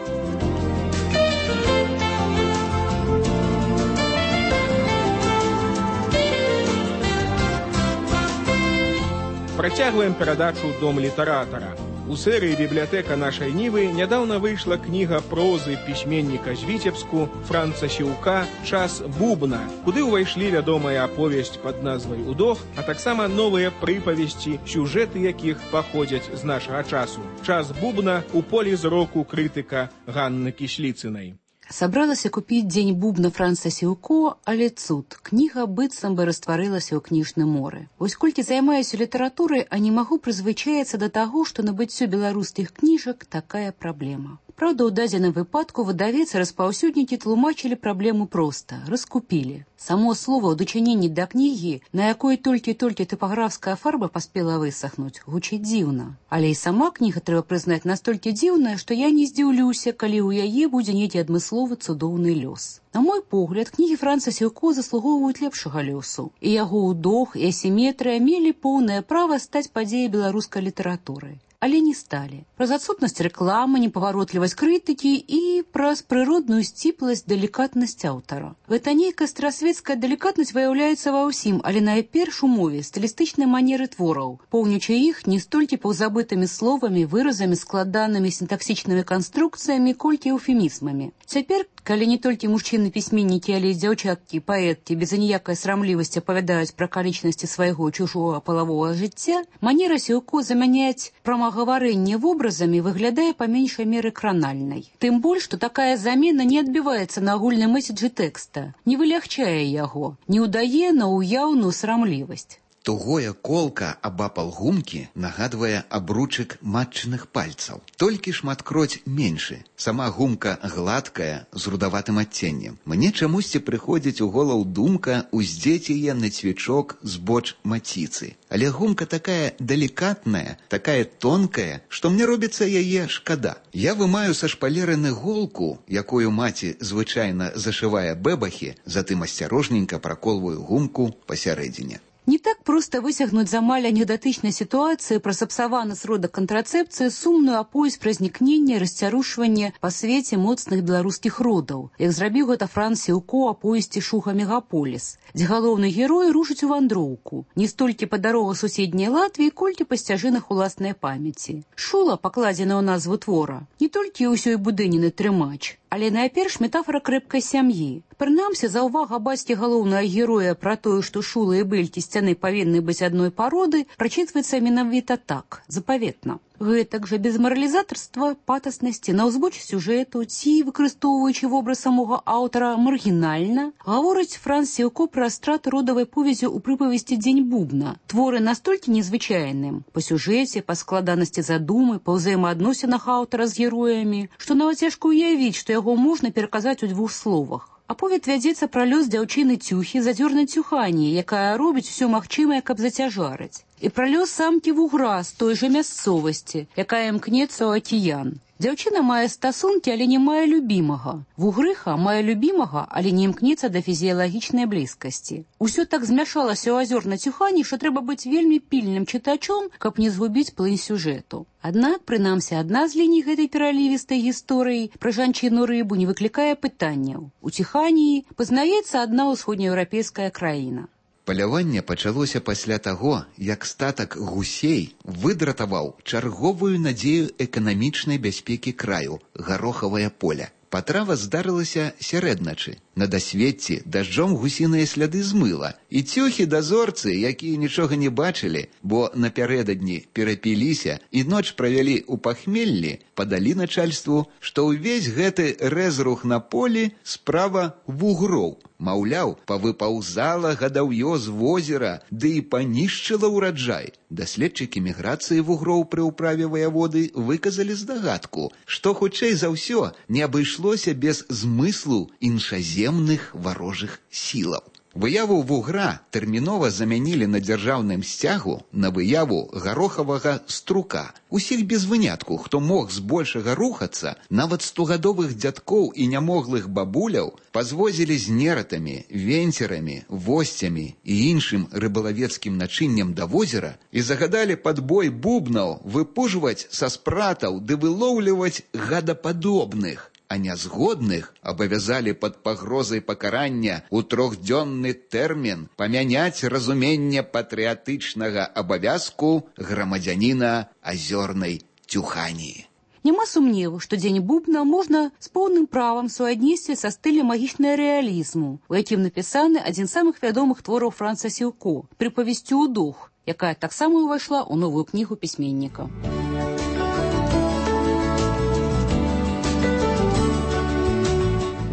Працягваем перадачу «Дом літаратара». У серыі «Бібліятэка нашай Нівы» нядаўна выйшла кніга прозы пісьменніка з Віцебску Франца Сіўка «Час бубна», куды ўвайшлі вядомая аповесць пад назвай «Удох», а таксама новыя прыпавесці, сюжэты якіх паходзяць з нашага часу. «Час бубна» у полі зроку крытыка Ганны Кісліцынай. Сабралася купіць «Дзень бубна» Франца Сіўко, але цуд. Кніга быццам бы растварылася ў кніжным моры. Вось колькі займаюся літаратурай, а не магу прызвычаіцца да таго, што набыццё беларускіх кніжак такая праблема. Праўда, у дадзеным выпадку выдавец і распаўсюднікі тлумачылі праблему проста, раскупілі. Само слова ў дачыненні да кнігі, на якой толькі-толькі тыпаграфская фарба паспела высахнуць, гучыць дзіўна. Але і сама кніга, трэба прызнаць, настолькі дзіўная, што я не здзіўлюся, калі ў яе будзе нейкі адмысловы цудоўны лёс. На мой погляд, кнігі Франца Сіўко заслугоўваюць лепшага лёсу. І яго ўдох, і асіметрыя мелі поўнае права стаць падзеяй беларускай літаратуры. Але не сталі. Праз адсутнасць рэкламы, непаваротлівасць крытыкі і праз прыродную сціпласць, далікатнасць аўтара. Гэта нейкая старасветская далікатнасць выяўляецца ва ўсім, але найперш у мове, стылістычнай манеры твораў, поўнючы іх не столькі паўзабытымі словамі, выразамі, складанымі сінтаксічнымі канструкцыямі, колькі эўфемізмамі. Цяпер, калі не толькі мужчыны-пісьменнікі, але і дзяўчаткі, паэткі без аніякай срамлівасці апавядаюць пра акалічнасці свайго чужога палавога жыцця, манера Сіўко замяняць прамагаварэнне вобразамі выглядае па меншай меры кранальнай. Тым больш, што такая замена не адбіваецца на агульным месседжы тэкста, не вылягчае яго, не ўдае на ўяўную срамлівасць. Тугое колка абапал гумкі нагадвае абручык матчыных пальцаў. Толькі шматкроць меншы. Сама гумка гладкая, з рудаватым адценнем. Мне чамусьці прыходзіць у голову думка уздзець яе на цвічок збоч маціцы. Але гумка такая далікатная, такая тонкая, што мне робіцца яе шкада. Я вымаю са шпалеры голку, якую маці звычайна зашывае бэбахі, затым асцярожненька праколваю гумку пасярэдзіне. Не так проста высягнуць з амаль анекдатычнай сітуацыі пра сапсаваны сродак кантрацэпцыі сумную аповесць пра знікненне і расцярушванне па свеце моцных беларускіх родаў, як зрабіў гэта Франц Сіўко аповесці «Шуха Мегаполіс», дзе галоўны герой рушыць у вандроўку, не столькі па дарогах суседняй Латвіі, колькі па сцяжынах уласнай памяці. Шула, пакладзена ў назву твора, не толькі ўсёй будыніны трымач, але найперш метафора крэпкай сям'і. Прынамсі, заўвага бацькі галоўнага героя пра тое, што шула і бэлькі сцяны павінны быць адной пароды, прачытваецца менавіта так, запаветна. Гэтак жа без маралізатарства, патаснасці, на ўзбоч сюжэту ці, выкарыстоўваючы вобраз самога аўтара маргінальна, гаворыць Франц Сіўко пра страту родавай повязі ў прыпавесці «Дзень бубна». Творы настолькі незвычайным па сюжэце, па складанасці задумы, па ўзаемаадносінах аўтара з героямі, што нават цяжка ўявіць, што яго можна пераказаць у двух словах. Аповед вядзецца пра лёс дзяўчыны Цюхі задзёрнай Цюхані, якая робіць усё магчымае, каб зацяжарыць. І пра лёс самкі вугра з той жа мясцовасці, якая імкнецца ў акіян. Дзяўчына мае стасункі, але не мае любімага. Вугрыха мае любімага, але не імкнецца да фізіялагічнай блізкасці. Усё так змяшалася ў азёрнай Цюхані, што трэба быць вельмі пільным чытачом, каб не згубіць плынь сюжэту. Аднак, прынамсі, адна з ліній гэтай пералівістай гісторыі пра жанчыну-рыбу не выклікае пытанняў. У Ціханіі пазнаецца адна ўсходнееўрапейская краіна. Паляванне пачалося пасля таго, як статак гусей выдратаваў чарговую надзею эканамічнай бяспекі краю – гарохавае поле. Патрава здарылася сярэдначы. На дасветці дажджом гусіныя сляды змыла. І цюхі дазорцы, якія нічога не бачылі, бо напярэдадні перапіліся і ноч правялі ў пахмеллі, падалі начальству, што ўвесь гэты рэзрух на полі справа вугроў. Маўляў, павыпаўзала гадаўё з возера, ды і панішчыла ўраджай. Даследчыкі міграцыі вугроў пры ўправе ваяводы выказалі здагадку, што хутчэй за ўсё не абышлося без змыслу іншаземных варожых сілаў. Выяву вугра тэрмінова замянілі на дзяржаўным сцягу на выяву гарохавага струка. Усіх без вынятку, хто мог збольшага рухацца, нават стогадовых дзядкоў і нямоглых бабуляў пазвозілі з нератамі, венцерамі, восцямі і іншым рыбалавецкім начыннем да возера і загадалі пад бой бубнаў выпужваць са спратаў ды вылоўліваць гадападобных. А нязгодных абавязалі пад пагрозай пакарання ў трохдзённы тэрмін памяняць разуменне патрыятычнага абавязку грамадзяніна азёрнай Тюханіі. Няма сумневу, што дзень бубна можна з поўным правам суаднесці са стылем магічнага рэалізму, у якім напісаны адзін з самых вядомых твораў Франца Сілко «Прыпавесцю ў дух», якая таксама ўвайшла ў новую кнігу пісьменніка.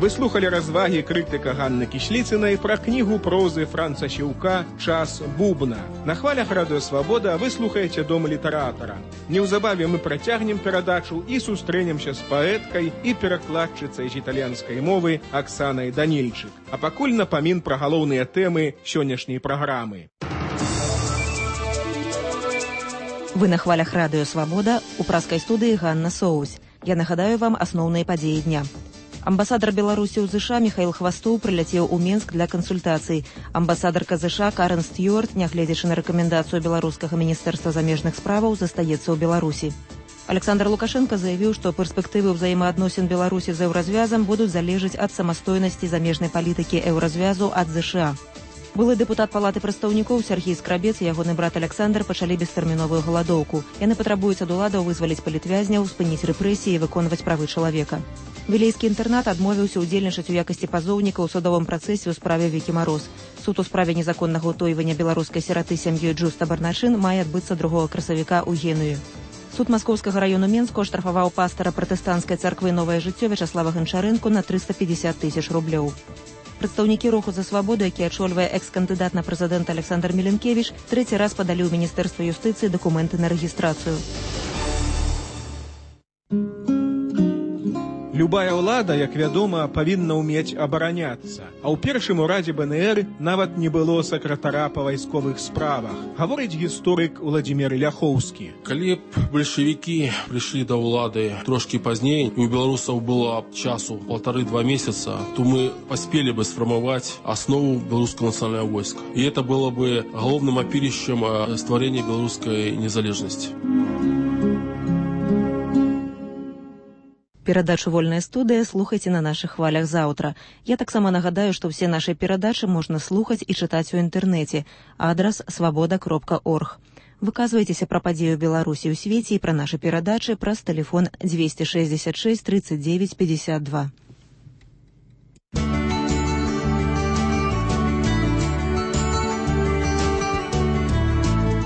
Вы слухали развагі крытыка Ганны Кісліцынай пра кнігу прозы Франца Сілка «Час бубна». На хвалях Радыё Свабода вы слухаеце Дом літаратара. Неўзабаве мы працягнем перадачу і сустрэнемся з паэткай і перакладчыцай з італьянскай мовы Аксанай Данільчык. А пакуль напамін пра галоўныя тэмы сённяшняй праграмы. Вы на хвалях Радыё Свабода, у праскай студыі Ганна Соусь. Я нагадаю вам асноўныя падзеі дня. Амбасадар Беларусі ў ЗША Міхаіл Хвастоў прыляцеў у Менск для кансультацый. Амбасадарка ЗША Карен Стюарт, нягледзячы на рэкамендацыю беларускага міністэрства замежных справаў, застаецца ў Беларусі. Александр Лукашенко заявіў, што перспектывы ўзаемаадносін Беларусі з еўразвязам будуць залежаць ад самастойнасці замежнай палітыкі еўразвязу ад ЗША. Былы дэпутат палаты прадстаўнікоў Сергій Скрабец і ягоны брат Александр пачалі бестэрміновую галадоўку. Яны патрабуюць ад уладаў вызваліць палітвязняў, спыніць рэпрэсіі і выконваць правы чалавека. Вілейскі інтэрнат адмовіўся ўдзельнічаць у якасці пазоўніка ў судовым працэсе ў справе Вікі Мароз. Суд у справе незаконнага ўтойвання беларускай сіраты сям'ёй Джуста Барначын мае адбыцца другога красавіка ў Генуі. Суд Маскоўскага раёну Менску аштрафаваў пастара пратэстанцкай царквы «Новае жыццё» Вячаслава Ганчарэнку на трыста пятьдесят тысяч рублёў. Прадстаўнікі руху за свабоду, які ачольвае экс-кандыдат на прэзідэнта Александр Меленкевіч, трэці раз падалі ў міністэрства юстыцыі дакументы на рэгістрацыю. Любая ўлада, як вядома, павінна ўмець абараняцца. А ў першым урадзе БНР нават не было сакратара па вайсковых справах, гаворыць гісторык Уладзімір Ляхоўскі. Калі б бальшавікі прыйшлі да ўлады трошкі пазней, і ў беларусаў было часу полторы-два месяца, то мы паспелі бы сфармаваць аснову беларускага нацыянальнага войска. І это было бы галоўным апірышчам стварэння беларускай незалежнасці. Перадачу «Вольная студыя» слухайце на нашых хвалях заўтра. Я таксама нагадаю, што ўсе нашы перадачы можна слухаць і чытаць у інтэрнэце. Адрас свабода кропка орг. Выказвайцеся пра падзею Беларусі ў свеце і пра нашы перадачы праз тэлефон двести шестьдесят шесть тридцать девять пятьдесят два.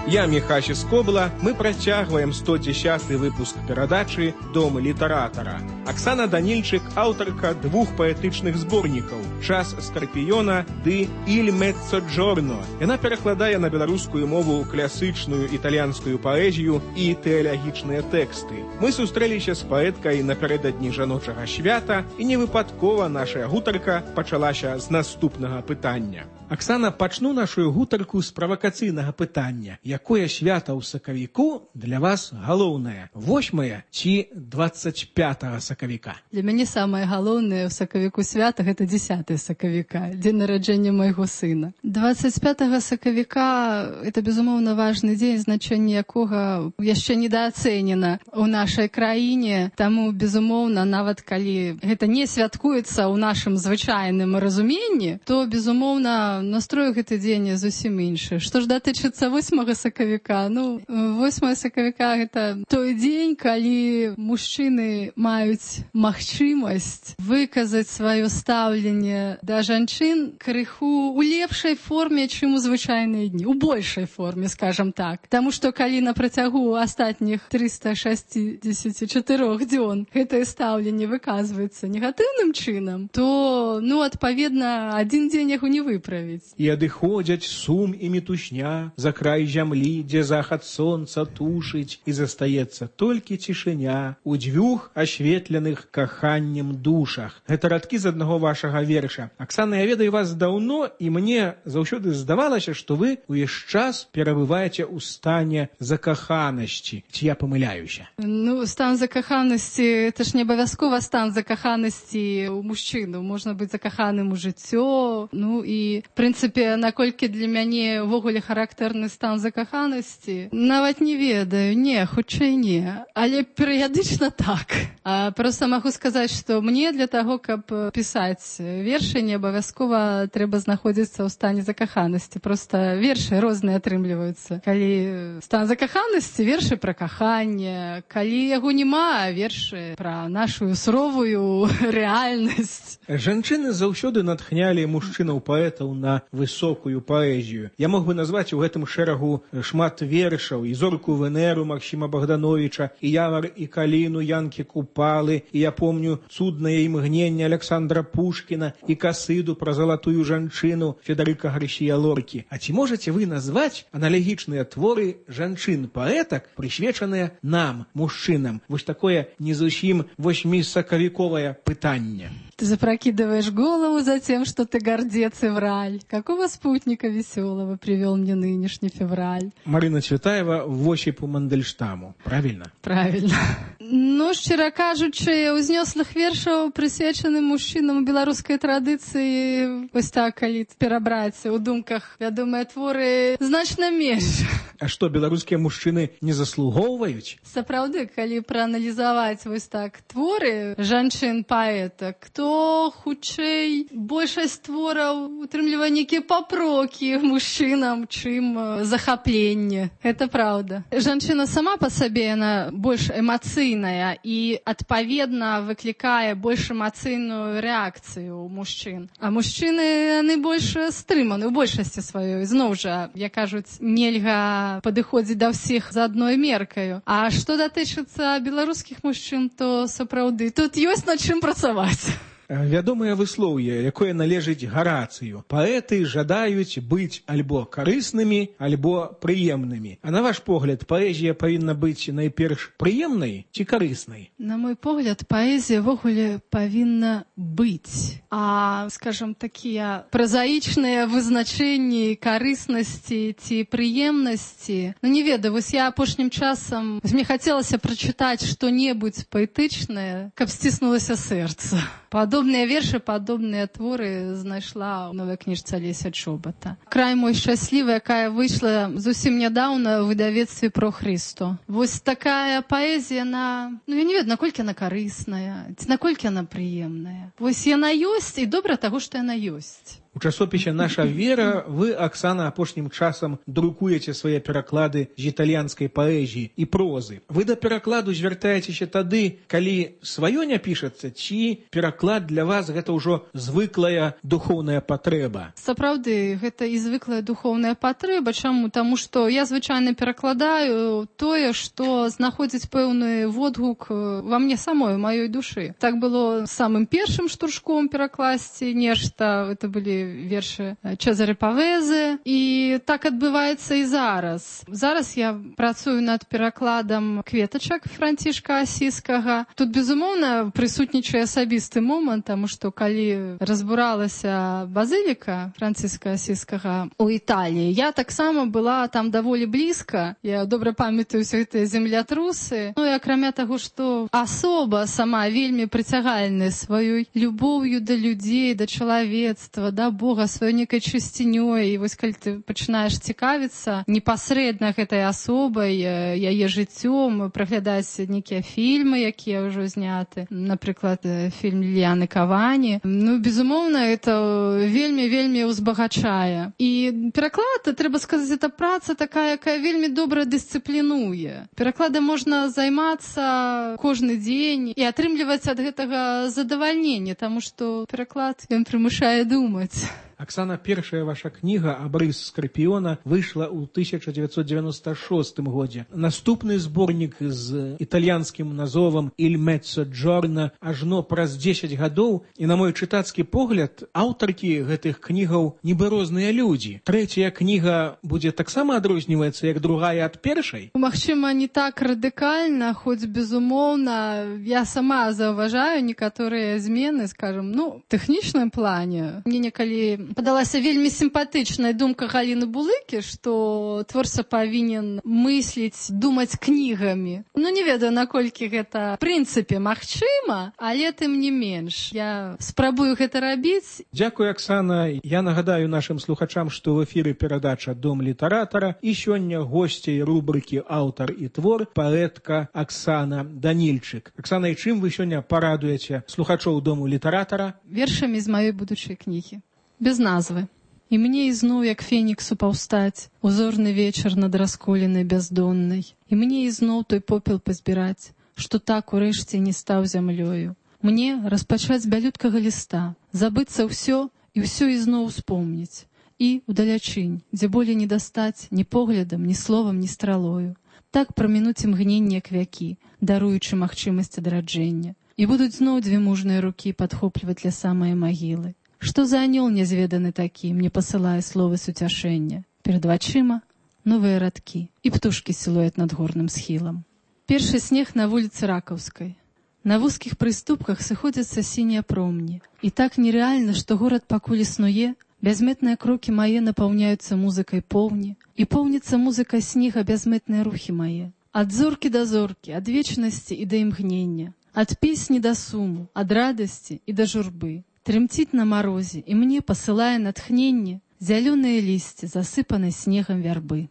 Я Міхась Скобла, мы працягваем сто дзесяты выпуск перадачы «Дом літаратара». Аксана Данільчык – аўтарка двух паэтычных зборнікаў «Час скарпіёна» ды «Иль Меццоджорно». Яна перакладае на беларускую мову класычную італьянскую паэзію і тэалагічныя тэксты. Мы сустрэліся з паэткай напярэдадні жаночага свята, і невыпадкова нашая гутарка пачалася з наступнага пытання. Аксана, пачну нашу гутарку з правакацыйнага пытання. Якое свята ў сакавіку для вас галоўнае? восьмае ці двадцать пятага сакавіка? Для мяне самае галоўнае ў сакавіку свята гэта дзесятае сакавіка, дзень нараджэння майго сына. двадцать пятага сакавіка это безумоўна важны дзень, значэнне якога яшчэ недаацэнена ў нашай краіне. Таму безумоўна, нават калі гэта не святкуецца ў нашым звычайным разуменні, то безумоўна настрой гэты дзень зусім іншы. Што ж датычыцца восьмага сакавіка, сакавіка. Ну, восьмое сакавіка гэта той дзень, калі мужчыны маюць магчымасць выказаць сваё стаўленне да жанчын крыху у лепшай форме, чым у звычайныя дні, у большай форме, скажам так. Таму што калі на працягу астатніх трыста шэсцьдзесят чатыры дзён гэтае стаўленне выказваецца негатыўным чынам, то, ну, адпаведна, адзін дзень яго не выправіць. І адыходзяць сум і мітушня за край зямлі, дзе захад сонца тушыць, і застаецца толькі цішыня у дзвюх асветленых каханнем душах. Гэта радкі з аднаго вашага верша. Аксана, я ведаю вас даўно, і мне заўсёды здавалася, што вы увесь час перабываеце ў стане закаханасці. Ці я памыляюся? Ну, стан закаханасці, это ж не абавязкова стан закаханасці ў мужчыну. Можна быць закаханым у жыццё. Ну і, в прынцыпе, наколькі для мяне ўвогуле характэрны стан закаханасці, нават не ведаю. Не, хутчэй не. Але перыядычна так. А просто магу сказаць, што мне для таго, каб пісаць вершы, не абавязкова трэба знаходзіцца ў стане закаханасці. Просто вершы розныя атрымліваюцца. Калі стан закаханасці, вершы пра каханне. Калі яго няма, вершы пра нашу суровую рэальнасць. Жанчыны заўсёды натхнялі мужчынаў-паэтаў на высокую паэзію. Я мог бы назваць у гэтым шэрагу шмат вершаў, і зорку Венеру Максіма Богдановича, і Явар і Каліну Янкі Купалы, і я помню цуднае імгненне Александра Пушкіна, і касыду пра залатую жанчыну Федэрыка Гарсія Лоркі. А ці можаце вы назваць аналагічныя творы жанчын-паэтак, прысвечаныя нам, мужчынам? Вось такое не зусім восьмісакавіковае пытанне. Ты запрокидываешь голову за тем, что ты гордец и враль. Какого спутника веселого привел мне нынешний февраль? Марина Цветаева в Осипу Мандельштаму. Правильно? Правильно. Ну, шчыра кажучы, узнёслых вершаў, прысвечаных мужчынам у беларускай традыцыі, вось так, калі перабраць у думках вядомыя творы, значна менш. А што, беларускія мужчыны не заслугоўваюць? Сапраўды, калі прааналізаваць вось так творы жанчын-паэтак, то хутчэй большасць твораў утрымлівае нейкія папрокі мужчынам, чым захапленне. Гэта праўда. Жанчына сама па сабе, яна больш эмацыйная і, адпаведна, выклікае больш эмацыйную рэакцыю ў мужчын. А мужчыны, яны больш стрыманы ў большасці сваёй. Зноў жа, як кажуць, нельга падыходзіць да ўсіх за адной меркаю. А што датычыцца беларускіх мужчын, то сапраўды тут ёсць над чым працаваць. Вядомае выслоўе, якое належыць Гарацыю. Паэты жадаюць быць альбо карыснымі, альбо прыемнымі. А на ваш погляд, паэзія павінна быць найперш прыемнай ці карыснай? На мой погляд, паэзія ввогуле павінна быць. А, скажам, такія празаічныя вызначэнні карыснасці ці прыемнасці, ну не ведаю, вось я апошнім часам, мне хацелася прачытаць што-небудзь паэтычнае, каб сціснулася сэрца. Падобныя вершы, падобныя творы знайшла ў новай кніжцы Алеся Чобата. «Край мой шчаслівы», якая выйшла зусім нядаўна ў выдавецтве «Про Христо». Вось такая паэзія, на... ну я не ведаю, наколькі яна карысная, ці наколькі яна прыемная. Вось яна ёсць, і добра таго, што яна ёсць. У часопісе «Наша вера» вы, Аксана, апошнім часам друкуеце свае пераклады з італьянскай паэзіі і прозы. Вы да перакладу звяртаецеся тады, калі сваё не пішацца, ці пераклад для вас гэта ўжо звыклая духоўная патрэба? Сапраўды, гэта і звыклая духоўная патрэба. Чаму? Таму што я звычайна перакладаю тое, што знаходзіць пэўны водгук ва мне самой, у маёй душы. Так было самым першым штуршком перакласці нешта, это былі вершы Чезаре Павезе, і так адбываецца і зараз. Зараз я працую над перакладам кветачак Францішка Асіскага. Тут, безумоўна, прысутнічае асабісты момант, таму што калі разбуралася базыліка Францішка Асіскага ў Італіі, я таксама была там даволі блізка. Я добра памятаю ўсе гэтыя землятрусы. Ну і акрамя таго, што асоба сама вельмі прыцягальная сваёй любоўю да людзей, да чалавецтва, да Бога сваёй некай чысцінёй, і вось калі ты пачынаеш цікавіцца непасрэдна гэтай асобай, яе жыццём, праглядаць нейкія фільмы, якія ўжо зняты, напрыклад, фільм Ліліяны Кавані, ну, безумоўна, это вельмі-вельмі узбагачае. І пераклад, трэба сказаць, это праца такая, якая вельмі добра дысцыплінуе. Перакладам можна займацца кожны дзень і атрымліваць ад гэтага задавальненне, таму што пераклад, ён прымушае думаць. Оксана, першая ваша кніга «Абрыс Скорпіона» выйшла ў тысяча дзевяцьсот девяносто шостым годзе. Наступны зборнік з італьянскім назовам «Il mezzo giorno» ажно праз дзесяць гадоў, і на мой чытацкі погляд, аўтаркі гэтых кнігаў нібы розныя людзі. Трэцяя кніга будзе таксама адрозніваецца, як другая ад першай? Магчыма, не так радыкальна, хоць, безумоўна, я сама заўважаю некаторыя змены, скажем, ну, тэхнічным плане. Мне некалі падалася вельмі сімпатычная думка Галіны Булыкі, што творца павінен мысліць, думаць кнігамі. Ну, не ведаю, наколькі гэта в прынцыпе магчыма, але тым не менш. Я спрабую гэта рабіць. Дзякуй, Оксана. Я нагадаю нашым слухачам, што в эфіры перадача «Дом літаратара», і сёння госцей рубрыкі «Аўтар і твор» паэтка Оксана Данільчык. Оксана, і чым вы сёння парадуеце слухачоў Дому літаратара? Вершамі з маёй будучай кнігі. Без назвы. І мне ізноў, як феніксу паўстаць, узорны вечар над расколенай бяздоннай. І мне ізноў той попел пазбіраць, што так урэшце не стаў зямлёю. Мне распачаць з бялюткага ліста, забыцца ўсё і ўсё ізноў успомніць. І удалячынь, дзе болей не дастаць ні поглядам, ні словам, ні стралою. Так прамінуць імгненне як вякі, даруючы магчымасць адраджэння. І будуць зноў дзве мужныя рукі падхопліваць ля самае магілы. Што за анёл нязведаны такі, мне пасылае словы суцяшэння. Перад вачыма новыя радкі і птушкі сілуэт над горным схілам. Першы снег на вуліцы Ракаўскай. На вузкіх прыступках сыходзяцца сінія промні. І так нерэальна, што горад пакуль існуе, бязметныя крокі мае напаўняюцца музыкай поўні, і поўніцца музыкай снега бязметныя рухі мае. Ад зоркі да зоркі, ад вечнасці і да імгнення, ад песні да суму, ад радасці і да журбы. Трымціць на марозе, і мне пасылае натхненне зялёныя лісце, засыпанай снегам вярбы.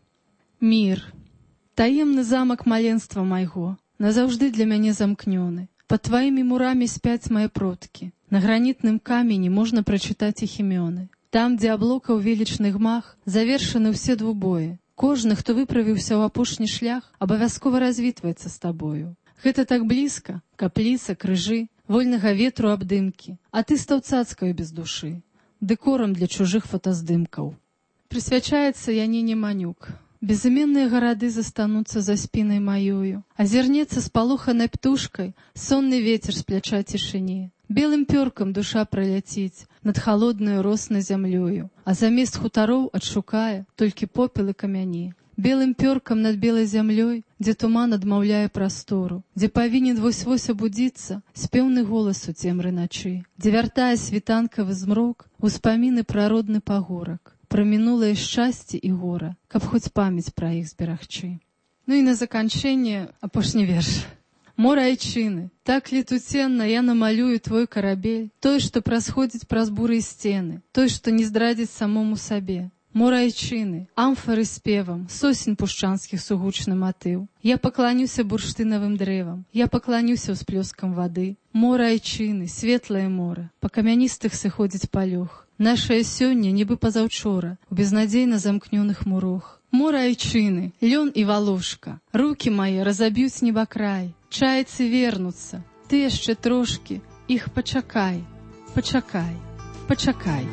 Мір. Таемны замак маленства майго, назаўжды для мяне замкнёны. Пад тваімі мурамі спяць мае продкі. На гранітным камені можна прачытаць іх імёны. Там, дзе аблокаў велічны гмах, завершаны ўсе двубоі. Кожны, хто выправіўся ў апошні шлях, абавязкова развітваецца з табою. Гэта так блізка, капліца, крыжы, вольнага ветру абдымкі, а ты стаў цацкаю без душы, дэкорам для чужых фотаздымкаў. Прысвячаецца Яніне Манюк. Безыменныя гарады застануцца за спінай маёю, азірнецца спалоханай птушкай сонны вецер з пляча цішыні. Белым пёркам душа праляціць над халоднаю роснай зямлёю, а замест хутароў адшукае толькі попел і камяні. Белым пёркам над белай зямлёй, дзе туман адмаўляе прастору, дзе павінен вось-вось абудзіцца спеўны голас у цемры начы, дзе вяртае світанкавы змрок успаміны пра родны пагорак, пра мінулае шчасце і гора, каб хоць памяць пра іх зберагчы. Ну і на заканчэнне апошні верш. Мора айчыны, так летуценна я намалюю твой карабель, той, што прасходзіць праз буры і сцены, той, што не здрадзіць самому сабе. Мора айчыны, амфары спевам, сосен пушчанскіх сугучны матыў. Я пакланюся бурштынавым дрэвам, я пакланюся ўсплёскам вады. Мора айчыны, светлае мора, па камяністых сыходзіць палёг. Нашае сёння, нібы пазаўчора, у безнадзейна замкнёных мурох. Мора айчыны, лён і валошка, рукі мае разаб'юць небакрай. Чайцы вернуцца, ты яшчэ трошкі, іх пачакай, пачакай, пачакай.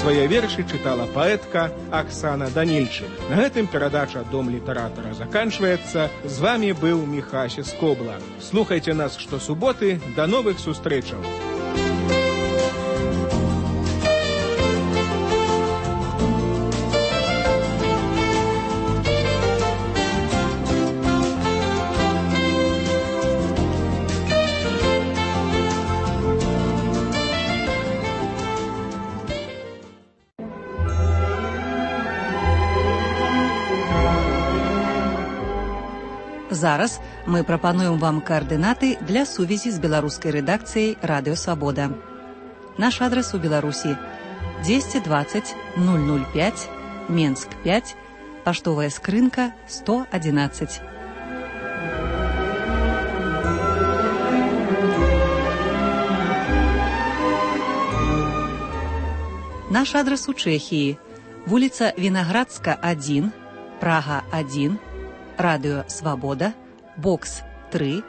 Свае вершы чытала паэтка Оксана Данільчык. На гэтым перадача «Дом літаратара» заканчваецца. З вамі быў Міхася Скобла. Слухайце нас штосуботы. Да новых сустрэчаў! Зараз мы прапануем вам координаты для сувязі з беларускай рэдакцыяй Радыё Свабода. Наш адрес у Беларусі десять двадцать ноль ноль пять, Менск пять, паштовая скрынка сто одиннадцать. Наш адрес у Чэхіі: вуліца Вінаградска один, Прага один, Радыё Свабода, бокс три,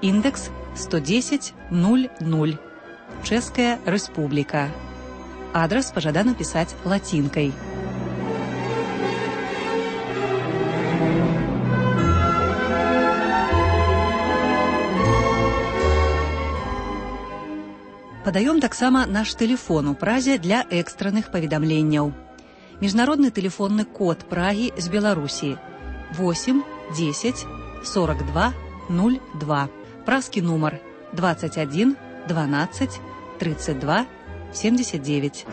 індекс сто десять ноль ноль, Чэшская Рэспубліка. Адрес пажадана пісаць лацінкай. Падаём таксама наш тэлефон у Празе для экстранных паведамленняў. Міжнародны тэлефонны код Прагі з Беларусі восемь десять сорок два ноль два. Празкі нумар двадцать один двенадцать тридцать два семьдесят девять.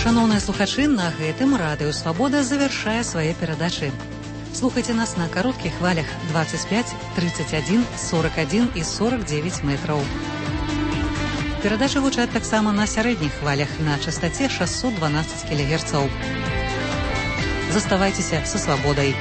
Шановныя слухачы, на гэтым Радыё Свабода завяршае свае перадачы. Слухайце нас на кароткіх хвалях двадцать пять, тридцать один, сорок один і сорок девять метраў. Перадачы гучаць таксама на сярэдніх хвалях на частаце шестьсот двенадцать кілогерцаў. Заставайцеся са свабодай.